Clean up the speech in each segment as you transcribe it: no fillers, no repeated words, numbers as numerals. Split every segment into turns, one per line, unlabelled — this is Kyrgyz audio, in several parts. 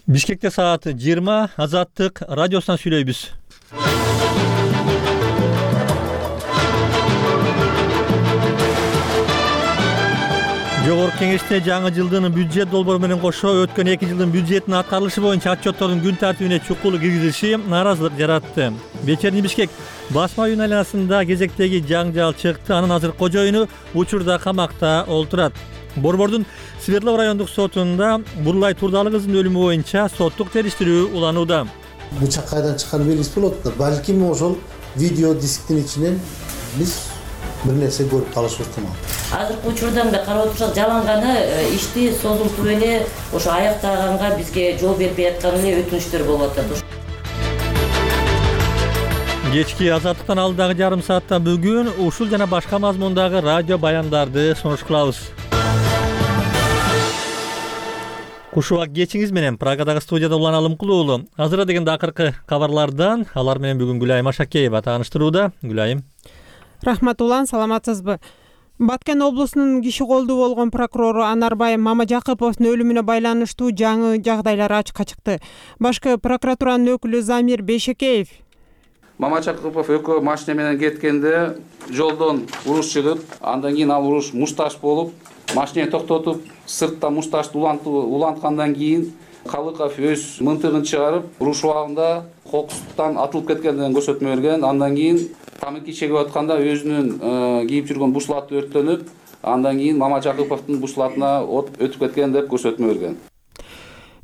Бишкекте саат 20 Азаттык радиосунан сүйлөйбүз. Жогорку Кеңеште жаңы жылдын бюджет долбоору менен кошо өткөн 2 жылдын бюджетинин аткарылышы боюнча отчеттордун күн тартибине чукул киргизилиши нааразылык жаратты. Вечерний Бишкек басма үйүнүн айланасында кезектеги жаңжал чыкты. Анын азыр кожоюну учурда камакта олтурат. Борбордун Свердлов райондук сотунда Бурлай Турдалы кызынын өлүмү боюнча соттук териштирүү уланууда.
Бычак кайдан чыкканы белгисиз болот да. Балким ошол видео дисктин ичинен биз бир нерсе көрүп калышыбыз ыктымал.
Азыркы учурда мындай карап отурсак, жаланганы ишти созултуп эле ошо аяктаганга бизге жол бербей аткан эле өтүнүчтөр болуп атат.
Кечки Азаттыктан алдыдагы жарым саатта бүгүн ушул жана башка мазмундагы радио баяндарды сунуш кылабыз. Кушубак кечиңиз менен Прагадагы студияда Улан Алымкулуу. Азыр дегенде акыркы кабарлардан алар менен бүгүн Гүлайым Ашакеева тааныштырууда. Гүлайым.
Рахмат Улан, саламатсызбы? Баткен облусунун киши колдуу болгон прокурору Анарбай Мамажакыповдун өлүмүнө байланыштуу жаңы жагдайлар ачыкка чыкты. Башкы прокуратуранын өкүлү Замир Бейшекеев
Мамажакыпов экөө машина менен кеткенде жолдон уруш чыгып, андан кийин ал уруш мушташ болуп, машинаны токтотуп, сыртта мушташты уланткандан кийин Калыков өз мынтыгын чыгарып, уруш убагында кокустан атылып кеткендигин көрсөтмө берген. Андан кийин тамаки чегип атканда өзүнүн кийип жүргөн бушлаты өрттөнүп, андан кийин Мамажакыповдун бушлатына от өтүп кеткен деп көрсөтмө берген.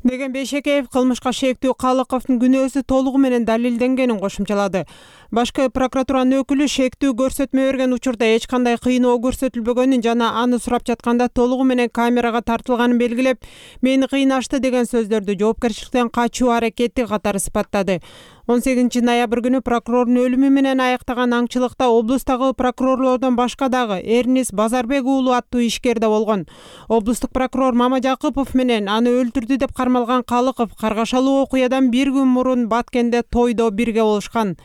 деген Бейшекеев кылмышка шектүү Калыковдун күнөөсү толугу менен далилденгенин кошумчалады. Башкы прокуратуранын өкүлү шектүү көрсөтмө берген учурда эч кандай кыйноо көрсөтүлбөгөнүн жана аны сурап жатканда толугу менен камерага тартылганын белгилеп, мени кыйнашты деген сөздөрдү жоопкерчиликтен качуу аракети катары сыпаттады. 18 ноябрь күнү прокурордун өлүмү менен аяктаган аңчылыкта облустагы прокурорлордон башка дагы Эрнис Базарбек уулу аттуу ишкер да болгон. Облустук прокурор Мамажакыпов менен аны өлтүрдү деп кармалган Калыков каргашалуу окуядан бир күн мурун Баткенде тойдо бирге болушкан.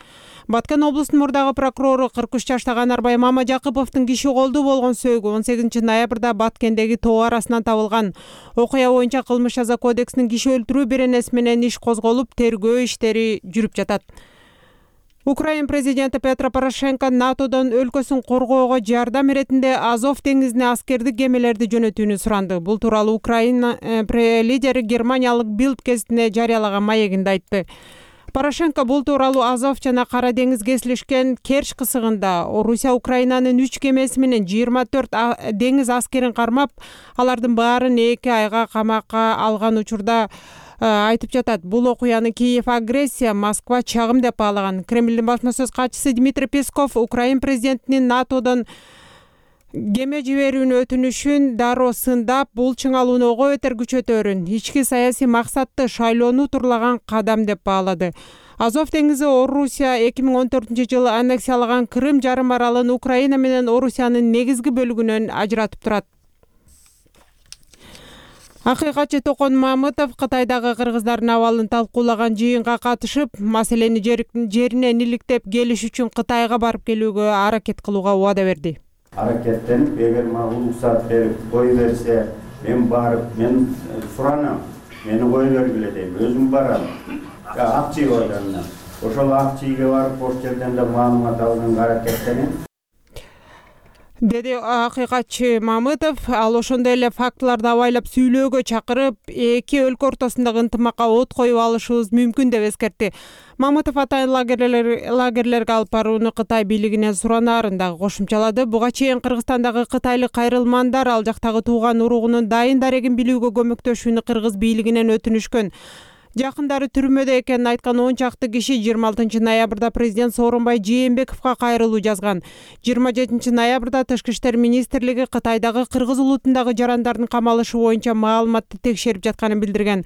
Баткен облусунун мурдагы прокурору 43 жаштагы Анарбай Мамажакыповдун киши колдуу болгон сөөгү 18 ноябрда Баткендеги тоо арасынан табылган. Окуя боюнча кылмыш жаза кодексинин киши өлтүрүү беренеси менен иш козголуп, тергөө иштери жүрүп жатат. Украина президенти Петро Порошенко НАТОдон өлкөсүн коргоого жардам иретинде Азов деңизине аскердик кемелерди жөнөтүүнү суранды. Бул тууралуу Украина лидери германиялык Билд гезитине жарыялаган маегинде айтты. Порошенко бул тууралуу Азов жана Кара деңиз кесилишкен Керч кысыгында Орусия Украинанын 3 кемеси менен 24 деңиз аскерин кармап, алардын баарын 2 айга камакка алган учурда айтып жатат. Бул окуяны Киев агрессия, Москва чагым деп баалаган. Кремлдин басма сөз катчысы Дмитрий Песков Украина президентинин НАТОдон кеме жиберүүнү өтүнүшүн дароо сындап, бул чыңалууну бетер күчөтөрүн, ички саясий максатты шайлоону турлаган кадам деп баалады. Азов деңизи Орусия 2014-жылы аннексиялаган Крым жарым аралын Украина менен Орусиянын негизги бөлүгүнөн ажыратып турат. Акыйкатчы Токон Мамытов Кытайдагы кыргыздардын абалын талкуулаган жыйынга катышып, маселени жеринен иликтеп келиш үчүн Кытайга барып келүүгө аракет кылууга убада берди.
Аракеттенип, эгер мага уруксат берип кой берсе, мен барып, мен суранам, мени кой бергиле дейм, өзүм барам. Акчый органына. Ошол акчыйга барып, ош жерден да маалымат алганга аракеттенем.
Деди акыйкатчы Мамытов. Ал ошондой эле фактыларды абайлап сүйлөөгө чакырып, эки өлкө ортосундагы ынтымакка от коюп алышыбыз мүмкүн деп эскертти. Мамытов атайын лагерлерге алып барууну Кытай бийлигинен суранаарын дагы кошумчалады. Буга чейин Кыргызстандагы кытайлык кайрылмандар ал жактагы тууган уругунун дайын дарегин билүүгө көмөктөшүүнү Кыргыз бийлигинен өтүнүшкөн. Жакындары түрмөдө экенин айткан 10 чакты киши 26 ноябрда президент Сооронбай Жээнбековго кайрылуу жазган. 27 ноябрда Тышкы иштер министрлиги Кытайдагы кыргыз улутундагы жарандардын камалышы боюнча маалыматты текшерип жатканын билдирген.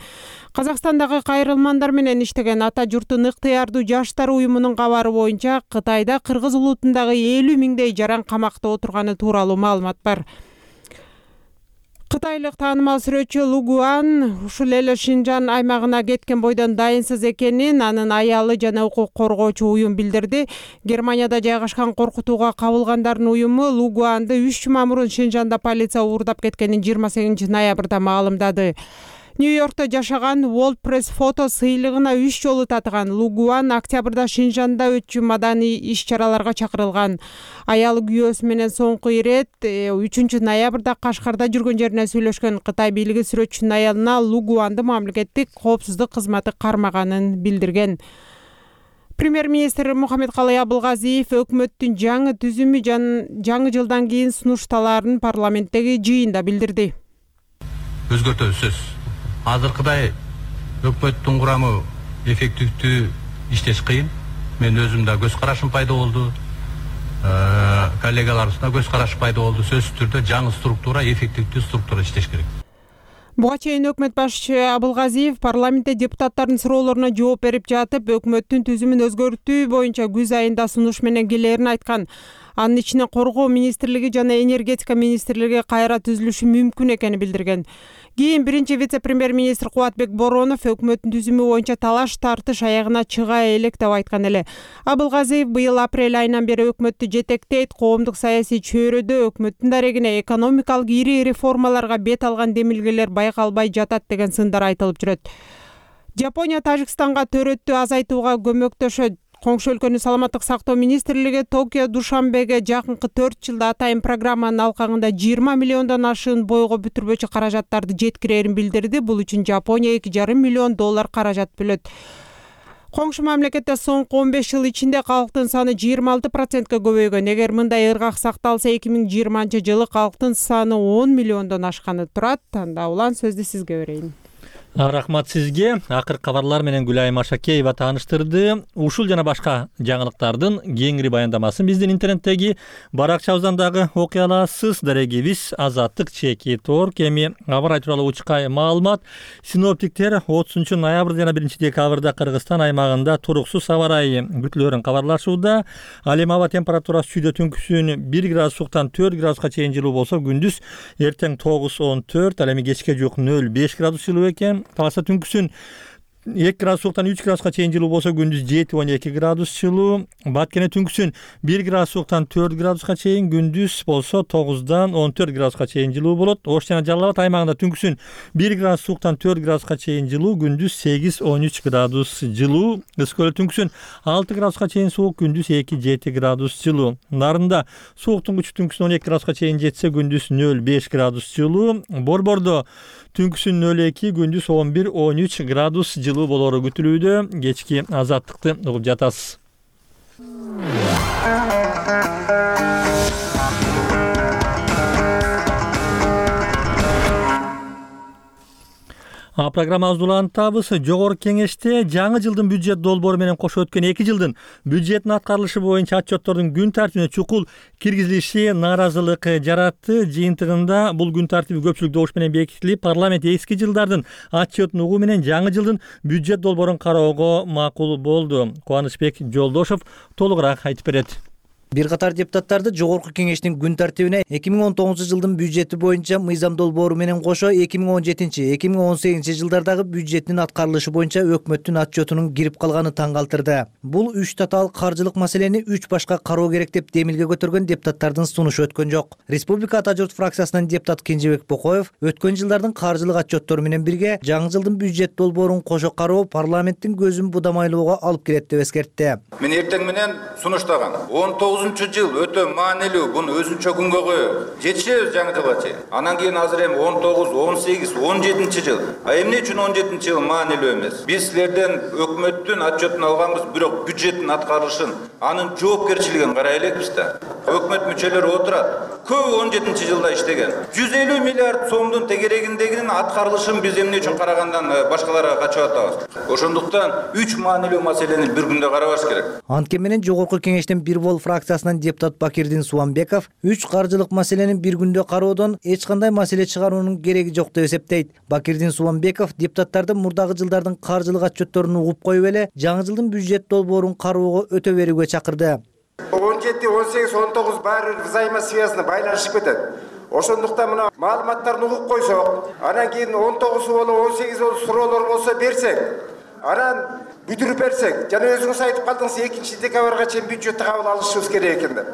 Казакстандагы кайрылмандар менен иштеген Ата журттун ыктыярдуу жаштар уюмунун кабары боюнча Кытайда кыргыз улутундагы 50 миңдей жаран камакта отурганы тууралуу маалымат бар. Кытайлык таанымал сүрөтчү Лугуан ушул эле Шинжан аймагына кеткен бойдон дайынсыз экенин анын аялы жана укук коргоочу уюм билдирди. Германияда жайгашкан коркутууга кабылгандардын уюму Лугуанды 3 жума мурун Шинжанда полиция уурдап кеткенин 28 ноябрда маалымдады. Нью-Йоркто жашаган World Press фото сыйлыгына 3 жолу татыган Лу Гуан октябрда Шинжанда өтчү маданий иш-чараларга чакырылган. Аялы күйөөсү менен соңку ирет 3 ноябрда Кашкарда жүргөн жеринен сүйлөшкөн Кытай бийлиги сүрөтчүнүн аялына Лу Гуанды мамлекеттик коопсуздук кызматы кармаганын билдирген. Премьер-министр Мухаммедкалый Абылгазиев өкмөттүн жаңы түзүмү жаңы жылдан кийин сунушталарын парламенттеги жыйында билдирди.
Өзгөртүү сөз. Азыркыдай өкмөттүн курамы эффективдүү иштеш кыйын. Мен өзүм да көз карашым пайда болду. Коллегаларыбызда көз карашы пайда болду. Сөзсүз түрдө жаңы структура, эффективдүү структура иштеш керек.
Буга чейин өкмөт башчысы Абылгазиев парламентте депутаттардын суроолоруна жооп берип жатып, өкмөттүн түзүмүн өзгөртүү боюнча күз айында сунуш менен келерин айткан. Анын ичинен коргоо министрлиги жана энергетика министрлиги кайра түзүлүшү мүмкүн экенин билдирген. Кийин биринчи вице-премьер-министр Кубатбек Боронов өкмөттүн түзүмү боюнча талаш тартыш аягына чыга элек деп айткан эле. Абылгазиев быйыл апрель айынан бери өкмөттү жетектейт, коомдук саясий чөйрөдө өкмөттүн дарегине экономикалык ири реформаларга бет алган демилгелер байкалбай жатат деген сындар айтылып жүрөт. Жапония Тажикстанга төрөттү азайтууга көмөктөшөт. Коңшу өлкөнүн саламаттык сактоо министрлиги Токио Душанбеге жакынкы 4 жылда атайын программанын алкагында 20 миллиондон ашыын бойго бүтүрбөчү каражаттарды жеткирерин билдирди. Бул үчүн Жапония $2,5 миллион каражат бөлөт. Коңшу мамлекетте соңку 15 жыл ичинде калктын саны 26%га көбөйгөн. Эгер мындай ыргак сакталса, 2020-жылы калктын саны 10 миллиондон ашканы турат. Анда улан сөздү сизге берейин.
Рахмат сизге. Акыркы кабарлар менен Гүлайым Ашакеева тааныштырды. Ушул жана башка жаңылыктардын кеңири баяндамасын биздин интернеттеги баракчабыздан дагы окуй аласыз. Дарегибиз Азаттык @. Эми аба ырайы тууралуу учкай маалымат. Синоптиктер 30 ноябрь жана 1 декабрда Кыргызстан аймагында туруксуз аба ырайы күтүлөрүн кабарлашууда. Ал эми аба температурасы түндө түнкүсүн 1 градустан 4 градуска чейин жылуу болсо, күндүз эртең 9-14, ал эми кечке жук 0-5 градус жылуу экен. Таласа түнкүсүн 2 градустан 3 градуска чейин жылуу болсо, күндүз 7-12 градус жылуу. Баткене түнкүсүн 1 градустан 4 градуска чейин, күндүз болсо 9-дан 14 градуска чейин жылуу болот. Ош жана Жалал Абад аймагында түнкүсүн 1 градустан 4 градуска чейин жылуу, күндүз 8-13 градус жылуу. Ысык көл түнкүсүн 6 градуска чейин суук, күндүз 2-7 градус жылуу. Нарында сууктун күчү түнкүсүн 12 градуска чейин жетсе, күндүз 0-5 градус жылуу. Борбордо түнкүсүн 0-2, күндүз 11-13 градус жылуу болору күтүлүүдө. Кечки азаттыкты угуп жатасыз. Программабызды улантабыз. Жогорку кеңеште жаңы жылдын бюджет долбоору менен кошо өткөн 2 жылдын бюджеттин аткарылышы боюнча отчеттордун күн тартибине чукул киргизилиши нааразылык жаратты. Жыйынтыгында бул күн тартиби көпчүлүк добуш менен бекитилип, парламент эски жылдардын отчетун угуу менен жаңы жылдын бюджет долбоорун кароого макул болду. Кубанычбек Жолдошов толугураак айтып берет.
Бир катар депутаттарды жогорку кеңештин күн тартибине 2019 жылдын бюджети боюнча мыйзам долбоору менен кошо 2017-2018 жылдардагы бюджеттин аткарылышы боюнча өкмөттүн отчетунун кирип калганы таң калтырды. Бул 3 татаал каржылык маселени 3 башка кароо керек деп демилге көтөргөн депутаттардын сунушу өткөн жок. Республика Ата журт фракциясынан депутат Кенжебек Бокоев өткөн жылдардын каржылык отчеттору менен бирге жаңы жылдын бюджет долбоорун кошо кароо парламенттин көзүн будамайлоого алып келет деп эскертти.
Мен эртең менен сунуштаган 19 жыл өтө маанилүү, буну өзүнчө күнгө коюп жетишебиз жаңы жылга чейин. Анан кийин азыр эми 19, 18, 17 жыл. Эмне үчүн 17 жыл маанилүү эмес? Биз силерден өкмөттүн отчетун алганбыз, бирок бюджеттин аткарылышын, анын жоопкерчилигин карай элекпиз да. Өкмөт мүчөлөрү отурат. Көбү 17 жылда иштеген. 150 миллиард сомдун тегерегиндегинин аткарылышын биз эмне үчүн карагандан башкаларга качып атабыз. Ошондуктан 3 маанилүү маселени бир күндө карабаш керек.
Анткени менен жогорку кеңештин бир бол фракциясынан депутат Бакирдин Суамбеков 3 каржылык маселени бир күндө кароодон эч кандай маселе чыгаруунун кереги жок деп эсептейт. Бакирдин Суамбеков депутаттарды мурдагы жылдардын каржылык отчетторун угуп коюп эле жаңы жылдын бюджет долбоорун кароого өтө берүүгө чакырды.
17, 18, 19 баары взаимосвязаны байланышып кетет. Ошондуктан мына маалыматтарды угуп койсок, анан кийин 19 боло 18 боло суроолор болсо берсек, анан бүтүрүп берсек, жана өзүңүз айтып калдыңыз 2 декабрга чейин бюджетти кабыл алышыбыз керек экен деп.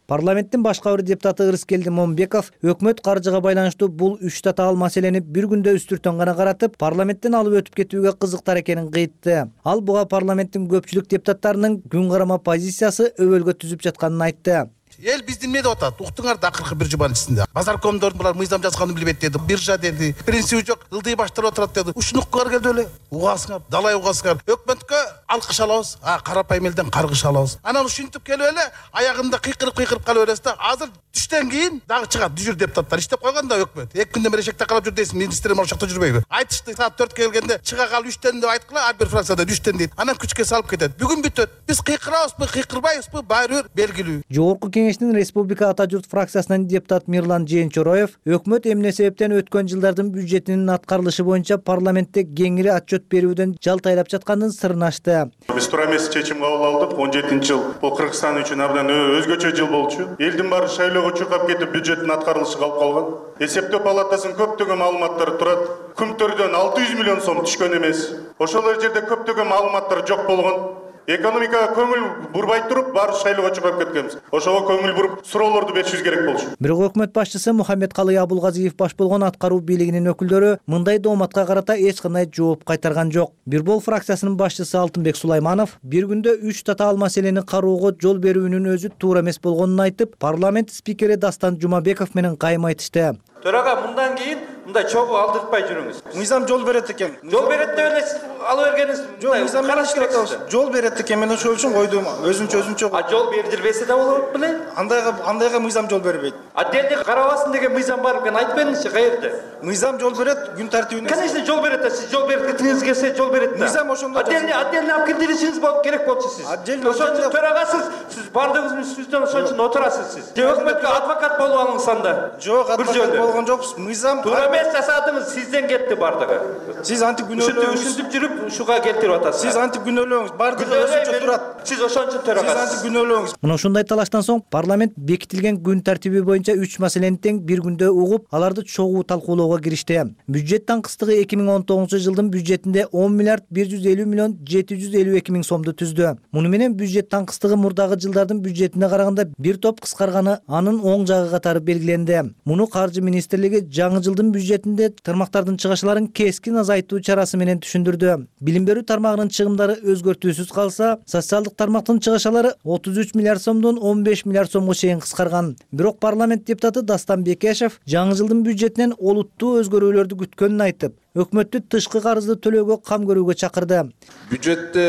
Парламенттин башка бир депутаты Ырыскелди Момбеков өкмөт каржыга байланыштуу бул 3 татаал маселени бир күндө үстүртөн гана каратып, парламенттен алып өтүп кетүүгө кызыктар экенин кыйтты. Ал буга парламенттин көпчүлүк депутаттарынын күн карама позициясы өбөлгө түзүп жатканын айтты.
Эл биздин эмне деп атат? Уктуңар да акыркы бир жуманын ичинде. Базаркомдордун булар мыйзам жазганын билбейт деди. Биржа деди. Принциби жок, ылдый баштырып отурат деди. Ушуну уккуңар келди эле. Угасыңар, далай угасыңар. Өкмөткө алкыш алабыз, карапайым элден каргыш алабыз. Анан ушинтип келип эле аягында кыйкырып калып бересиз да. Азыр түштөн кийин дагы чыгат жүзүр депутаттар. Иштеп койгон да өкмөт. 2 күндөн бери эшекте калып жүр дейсиз. Министрлер ошокто жүрбөйбү? Айтышты саат 4-кө келгенде чыга кал 3төн деп айткыла, ар бир фракцияда 3төн дейт. Анан күчкө салып кетет. Бүгүн бүтөт. Биз кыйкырабызбы, кыйкырбайбызбы, баары бир белгилүү.
Жогорку кеңештин республика Ата журт фракциясынан депутат Мирлан Жээнчороев өкмөт эмне себептен өткөн жылдардын бюджетинин аткарылышы боюнча парламентте кеңири отчет берүүдөн жалтайлап жатканын сырын ачты.
Биз туура эмес чечим кабыл алдык. 17-жыл бул Кыргызстан үчүн абдан өзгөчө жыл болчу. Элдин баары шайлоого чуркап кетип бюджеттин аткарылышы калып калган. Эсептөө палатасынын көптөгөн маалыматтары турат. Күмтөрдөн 600 миллион сом түшкөн эмес. Ошол жерде көптөгөн маалыматтар жок болгон. Экономикага көңүл бурбай туруп, баары шайлоого чыгып кеткенбиз. Ошого көңүл буруп, суроолорду беришибиз керек болчу.
Бирок өкмөт башчысы Мухаммедкалый Абулгазиев баш болгон аткаруу бийлигинин өкүлдөрү мындай дооматка карата эч кандай жооп кайтарган жок. Бирбол фракциясынын башчысы Алтынбек Сулайманов бир күндө 3 татаал маселени кароого жол берүүнүн өзү туура эмес болгонун айтып, парламент спикери Дастан Жумабеков менен кайым айтышты.
Төрага мындан кийин мындай чогуу алдыртпай жүрүңүз.
Мыйзам жол берет экен.
Жол берет деп эле алып бергениңиз.
Жок, мыйзам караш керек. Жол берет экен, мен ошол үчүн койдум. Өзүнчө.
А жол бердирбесе да болот беле?
Андайга мыйзам жол бербейт.
Отдельный карабасын деген мыйзам бар экен, айтып бериңизчи, каерде?
Мыйзам жол берет, күн тартибинде.
Конечно, жол берет да, сиз жол берткиңиз келсе жол берет да.
Мыйзам ошондо.
Отдельный алып кирдиришиңиз керек болчу сиз. Ошон үчүн төрагасыз, сиз бардыгыңыз үстүнөн ошон үчүн отурасыз сиз. Өкмөткө адвокат болуп алыңыз анда.
Жок, адвокат болгон жокпуз. Мыйзам
туура эмес жасадыңыз, сизден кетти бардыгы.
Сиз антип күнөөлөөңүз.
Ушинтип жүрүп ушуга келтирип атасыз.
Сиз антип күнөөлөөңүз, бардыгы өзүнчө турат.
Сиз ошон үчүн төрагасыз.
Сиз антип күнөөлөөңүз.
Мына ушундай талаштан соң парламент бекитилген күн тартиби боюнча 3 маселени тең бир күндө угуп, аларды чогуу талкуулоого киришти. Бюджет таңкыстыгы 2019 жылдын бюджетинде 10 миллиард 150 миллион 752 миң сомду түздү. Муну менен бюджет таңкыстыгы мурдагы жылдардын бюджетине караганда бир топ кыскарганы анын оң жагы катары белгиленди. Муну Каржы министрлиги жаңы жылдын бюджетинде тармактардын чыгышларын кескин азайтуу чарасы менен түшүндүрдү. Билим берүү тармагынын чыгымдары өзгөртүүсүз калса, социалдык тармактын чыгышлары 33 миллиард сомдон 15 миллиард сомго чейин кыскарган. Бирок парламент депутаты Дастан Бекешев жаңы жылдын бюджетинен олуттуу өзгөрүүлөрдү күткөнүн айтып, өкмөттү тышкы карызды төлөөгө кам көрүүгө чакырды.
Бюджетте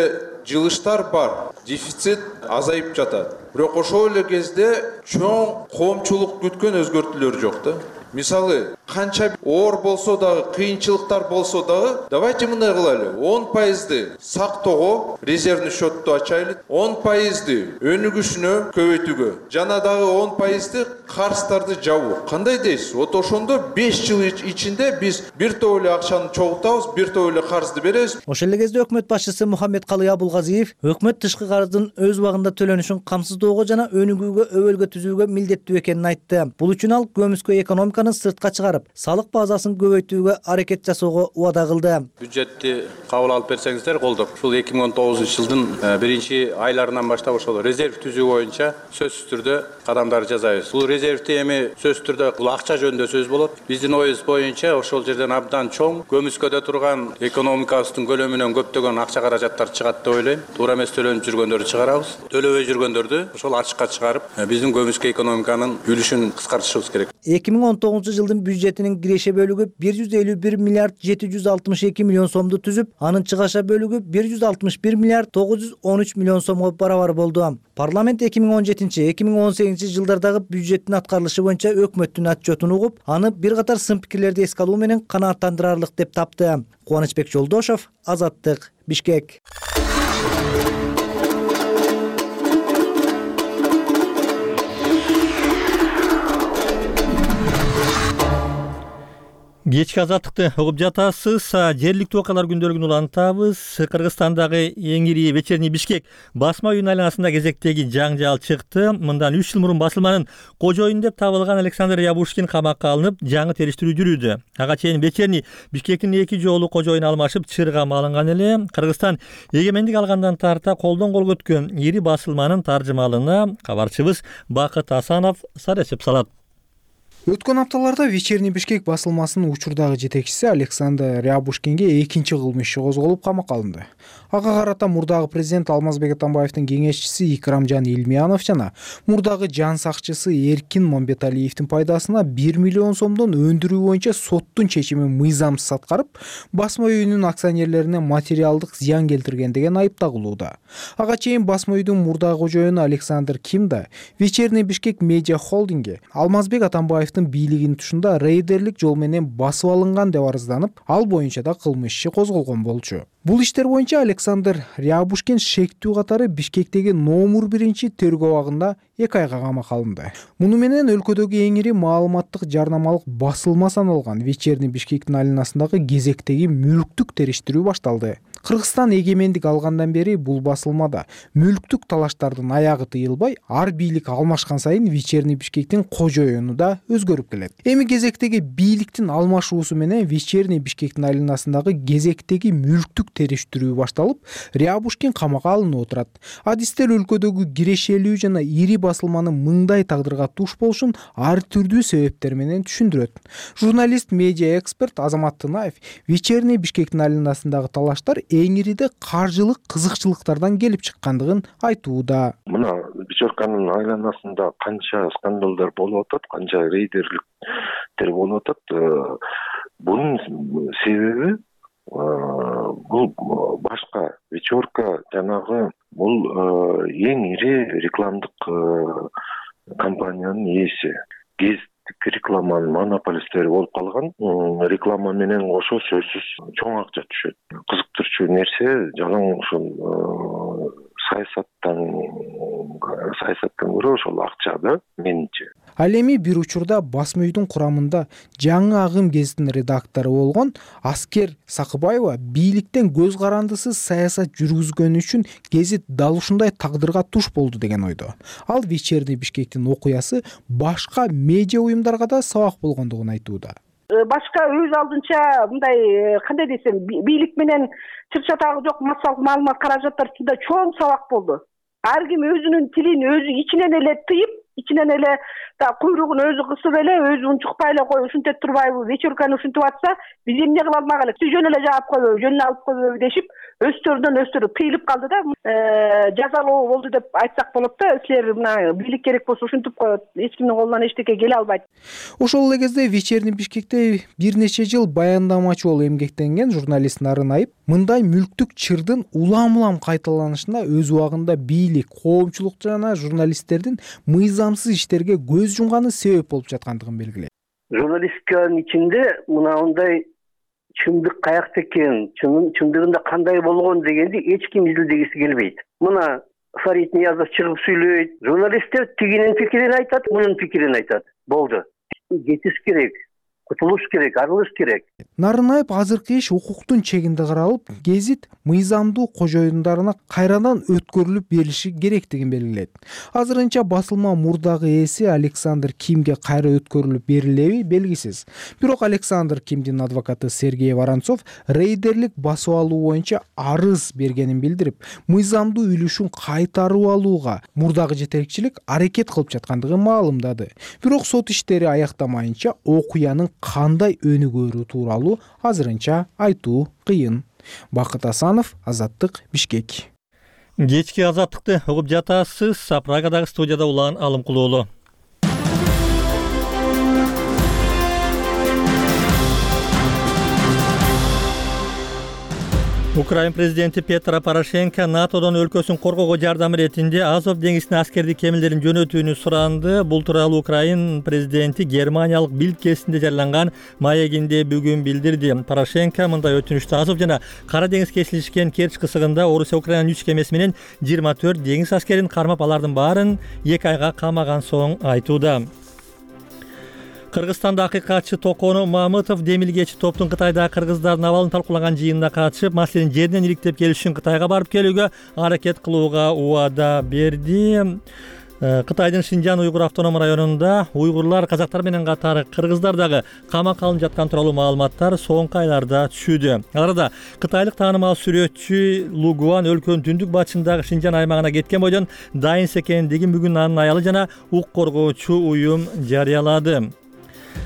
жылыштар бар, дефицит азайып жатат. Бирок ошол эле кезде чоң коомчулук күткөн өзгөртүүлөр жок да. Мисалы, канча оор болсо дагы, кыйынчылыктар болсо дагы, давайте мындай кылайлы. 10% сактоого резервный счетту ачайлы, 10% өнүгүшүнө көбөйтүүгө, жана дагы 10% карыздарды жабуу. Кандай дейсиз? Вот ошондо 5 жыл ичинде биз бир топ эле акчаны чогултабыз, бир топ эле карызды беребиз.
Ошол эле кезде өкмөт башчысы Мухаммедкалый Абулгазиев өкмөт тышкы карыздын өз убагында төлөнүшүн камсыздоого жана өнүгүүгө өбөлгө түзүүгө милдеттүү экенин айтты. Бул үчүн ал көмүскө экономика сыртка чыгарып, салык базасын көбөйтүүгө аракет жасоого убада кылды.
Бюджетти кабыл алып берсеңиздер колдоп, ушул 2019 жылдын биринчи айларынан баштап ошол резерв түзүү боюнча сөзсүз түрдө кадамдар жасайбыз. Бул резервти эми сөзсүз түрдө бул акча жөнүндө сөз болот. Биздин оюбуз боюнча ошол жерден абдан чоң көмүскөдө турган экономикабыздын көлөмүнөн көптөгөн акча каражаттар чыгат деп ойлойм. Туура эмес төлөнүп жүргөндөрдү чыгарабыз. Төлөбөй жүргөндөрдү ошол ачыкка чыгарып, биздин көмүскө экономиканын үлүшүн кыскартышыбыз керек.
2019 жылдын бюджетинин киреше бөлүгү 151 миллиард 762 миллион сомду түзүп, анын чыгаша бөлүгү 161 миллиард 913 миллион сомго барабар болду. Парламент 2017-2018 жылдардагы бюджеттин аткарылышы боюнча өкмөттүн отчетун угуп, аны бир катар сын пикирлерди эске алуу менен канааттандырарлык деп тапты. Кубанычбек Жолдошов, Азаттык, Бишкек.
Кечки азаттыкты угуп жатасыз. Жергиликтүү окуялар күндөлүгүн улантабыз. Кыргызстандагы эң ири вечерний Бишкек басма үйүнүн айланасында кезектеги жаңжал чыкты. Мындан 3 жыл мурун басылманын кожоюну деп табылган Александр Рябушкин камакка алынып, жаңы териштирүү жүрүүдө. Ага чейин вечерний Бишкектин 2 жолу кожоюну алмашып, чыргам алынган эле. Кыргызстан эгемендик алгандан тарта колдон колго өткөн ири басылманын таржымалына кабарчыбыз Бакыт Асанов сарачып салат.
Өткөн апталарда вечерний Бишкек басылмасынын учурдагы жетекчиси Александр Рябушкинге экинчи кылмыш иши козголуп камакка алынды. Ага карата мурдагы президент Алмазбек Атамбаевдин кеңешчиси Икрамжан Илмиянов жана мурдагы жан сакчысы Эркин Момбеталиевдин пайдасына 1 миллион сомдон өндүрүү боюнча соттун чечимин мыйзамсыз аткарып, басма үйүнүн акционерлерине материалдык зыян келтирген деген айып тагылууда. Ага чейин басма үйдүн мурдагы кожоюну Александр Ким да вечерний Бишкек медиа холдинги Алмазбек Атамбаев бийлигинин тушунда рейдерлик жол менен басып алынган деп арызданып, ал боюнча да кылмыш иши козголгон болчу. Бул иштер боюнча Александр Рябушкин шектүү катары Бишкектеги номер 1 тергөө абагында 2 айга камакка алынды. Муну менен өлкөдөгү эң ири маалыматтык жарнамалык басылма саналган вечерний Бишкектин айланасындагы кезектеги мүлктүк териштирүү башталды. Кыргызстан эгемендик алгандан бери бул басылмада мүлктүк талаштардын аягы тыйылбай, ар бийлик алмашкан сайын вечерний Бишкектин кожоюну да өзгөрүп келет. Эми кезектеги бийликтин алмашуусу менен вечерний Бишкектин айланасындагы кезектеги мүлктүк териштирүү башталып, Рябушкин камакка алынып отурат. Адистер өлкөдөгү кирешелүү жана ири басылманын мындай тагдырга туш болушун ар түрдүү себептер менен түшүндүрөт. Журналист, медиа эксперт Азамат Тынаев вечерний Бишкектин айланасындагы талаштар эң ириде каржылык кызыкчылыктардан келип чыккандыгын айтууда.
Мына вечерканын айланасында канча скандалдар болуп атат, канча рейдерликтер болуп атат. Бунун себеби бул башка вечерка жанагы бул эң ири рекламдык компаниянын ээси. Гездик рекламанын монополисттери болуп калган. Реклама менен кошо сөзсүз чоң акча түшөт. Кызыктырчу нерсе жалаң ошол саясаттан көрө ошол акчада менимче.
Ал эми бир учурда басма үйдүн курамында жаңы агым гезитинин редактору болгон Аскер Сакыбаева бийликтен көз карандысыз саясат жүргүзгөнү үчүн гезит дал ушундай тагдырга туш болду деген ойдо. Ал вечерний Бишкектин окуясы башка медиа уюмдарга да сабак болгондугун айтууда.
Башка өз алдынча мындай кандай десем, бийлик менен чыр-чатагы жок массалык маалымат каражаттар үстүндө чоң сабак болду. Ар ким өзүнүн тилин өзү ичинен эле тыйып, ичинен эле куйругун өзү кысып эле, өзү унчукпай эле кой, ушинтип турбайбы, вечерканы ушинтип атса, биз эмне кыла алмак элек? Жөн эле жаап койбойбу, жөнүнө алып койбойбу дешип, өстөрү тыйылып калды да, жазалоо болду деп айтсак болот да. Силер мына бийлик керек болсо ушинтип коет, эч кимдин колунан эчтеке келе албайт.
Ошол эле кезде вечерний Бишкекте бир нече жыл баяндамачы болуп эмгектенген журналист Нарын Айып мындай мүлктүк чырдын улам-улам кайталанышына өз убагында бийлик, коомчулук жана журналисттердин мыйзамсыз иштерге көз жумганы себеп болуп жаткандыгын белгилейт.
Журналистиканын ичинде мындай чындык каякта экен, чындыгында кандай болгон дегенди эч ким изилдегиси келбейт. Мына Фарид Ниязов чыгып сүйлөйт, журналисттер тигинин пикирин айтат, мунун пикирин айтат. Болду. Кетиш керек. Кутулуш керек, арылыш керек.
Нарынаев азыркы иш укуктун чегинде каралып, гезит мыйзамдуу кожоюндарына кайрадан өткөрүлүп берилиши керектигин белгилейт. Азырынча басылма мурдагы ээси Александр Кимге кайра өткөрүлүп берилеби белгисиз. Бирок Александр Кимдин адвокаты Сергей Воронцов рейдерлик басып алуу боюнча арыз бергенин билдирип, мыйзамдуу үлүшүн кайтарып алууга мурдагы жетекчилик аракет кылып жаткандыгын маалымдады. Бирок сот иштери аяктамайынча окуянын кандай өнүгөрү тууралуу азырынча айтуу кыйын. Бакыт Асанов, Азаттык, Бишкек.
Кечки азаттыкты угуп жатасыз. Прагадагы студияда Улан Алымкулуулу. Украин президенти Петро Порошенко НАТОдон өлкөсүн коргоого жардам иретинде Азов деңизине аскердик кемелерин жөнөтүүнү суранды. Бул тууралуу Украин президенти Германиялык Билд гезитинде жарыяланган маегинде бүгүн билдирди. Порошенко мындай өтүнүштү Азов жана Кара деңиз кесилишкен Керчь кысыгында Орусия Украинанын 3 кемеси менен 24 деңиз аскерин кармап, алардын баарын 2 айга камаган соң айтууда. Кыргызстанда акыйкатчы Токону Мамытов демилгечи топтун Кытайдагы кыргыздардын абалын талкуулаган жыйынына катышып, маселени жеринен иликтеп келиш үчүн Кытайга барып келүүгө аракет кылууга убада берди. Кытайдын Шинжан уйгур автоном районунда уйгурлар, казактар менен катары кыргыздар дагы камакка алынып жаткан тууралуу маалыматтар соңку айларда түшүүдө. Ал арада кытайлык таанымал сүрөтчү Лу Гуан өлкөнүн түндүк батышындагы Шинжан аймагына кеткен бойдон дайын экендигин бүгүн анын аялы жана укук коргоочу уюм жарыялады.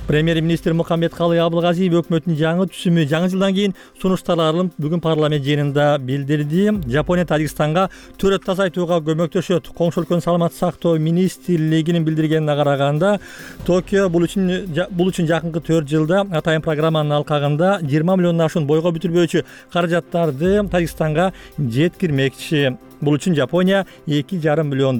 Премьер-министр Мухаммедкалый Абылгазиев өкмөттүн жаңы түсүмү жаңы жылдан кийин сунушталарын бүгүн парламент жыйынында билдирди. Жапония Тажикстанга төрөт тазайтууга көмөктөшөт. Коңшу өлкөнүн саламаттык сактоо министрлигинин билдиргенине караганда, Токио бул үчүн жакынкы 4 жылда атайын программанын алкагында 20 миллиондон ашуун бойго бүтүрбөөчү каражаттарды Тажикстанга жеткирмекчи. Бул үчүн Жапония $2,5 миллион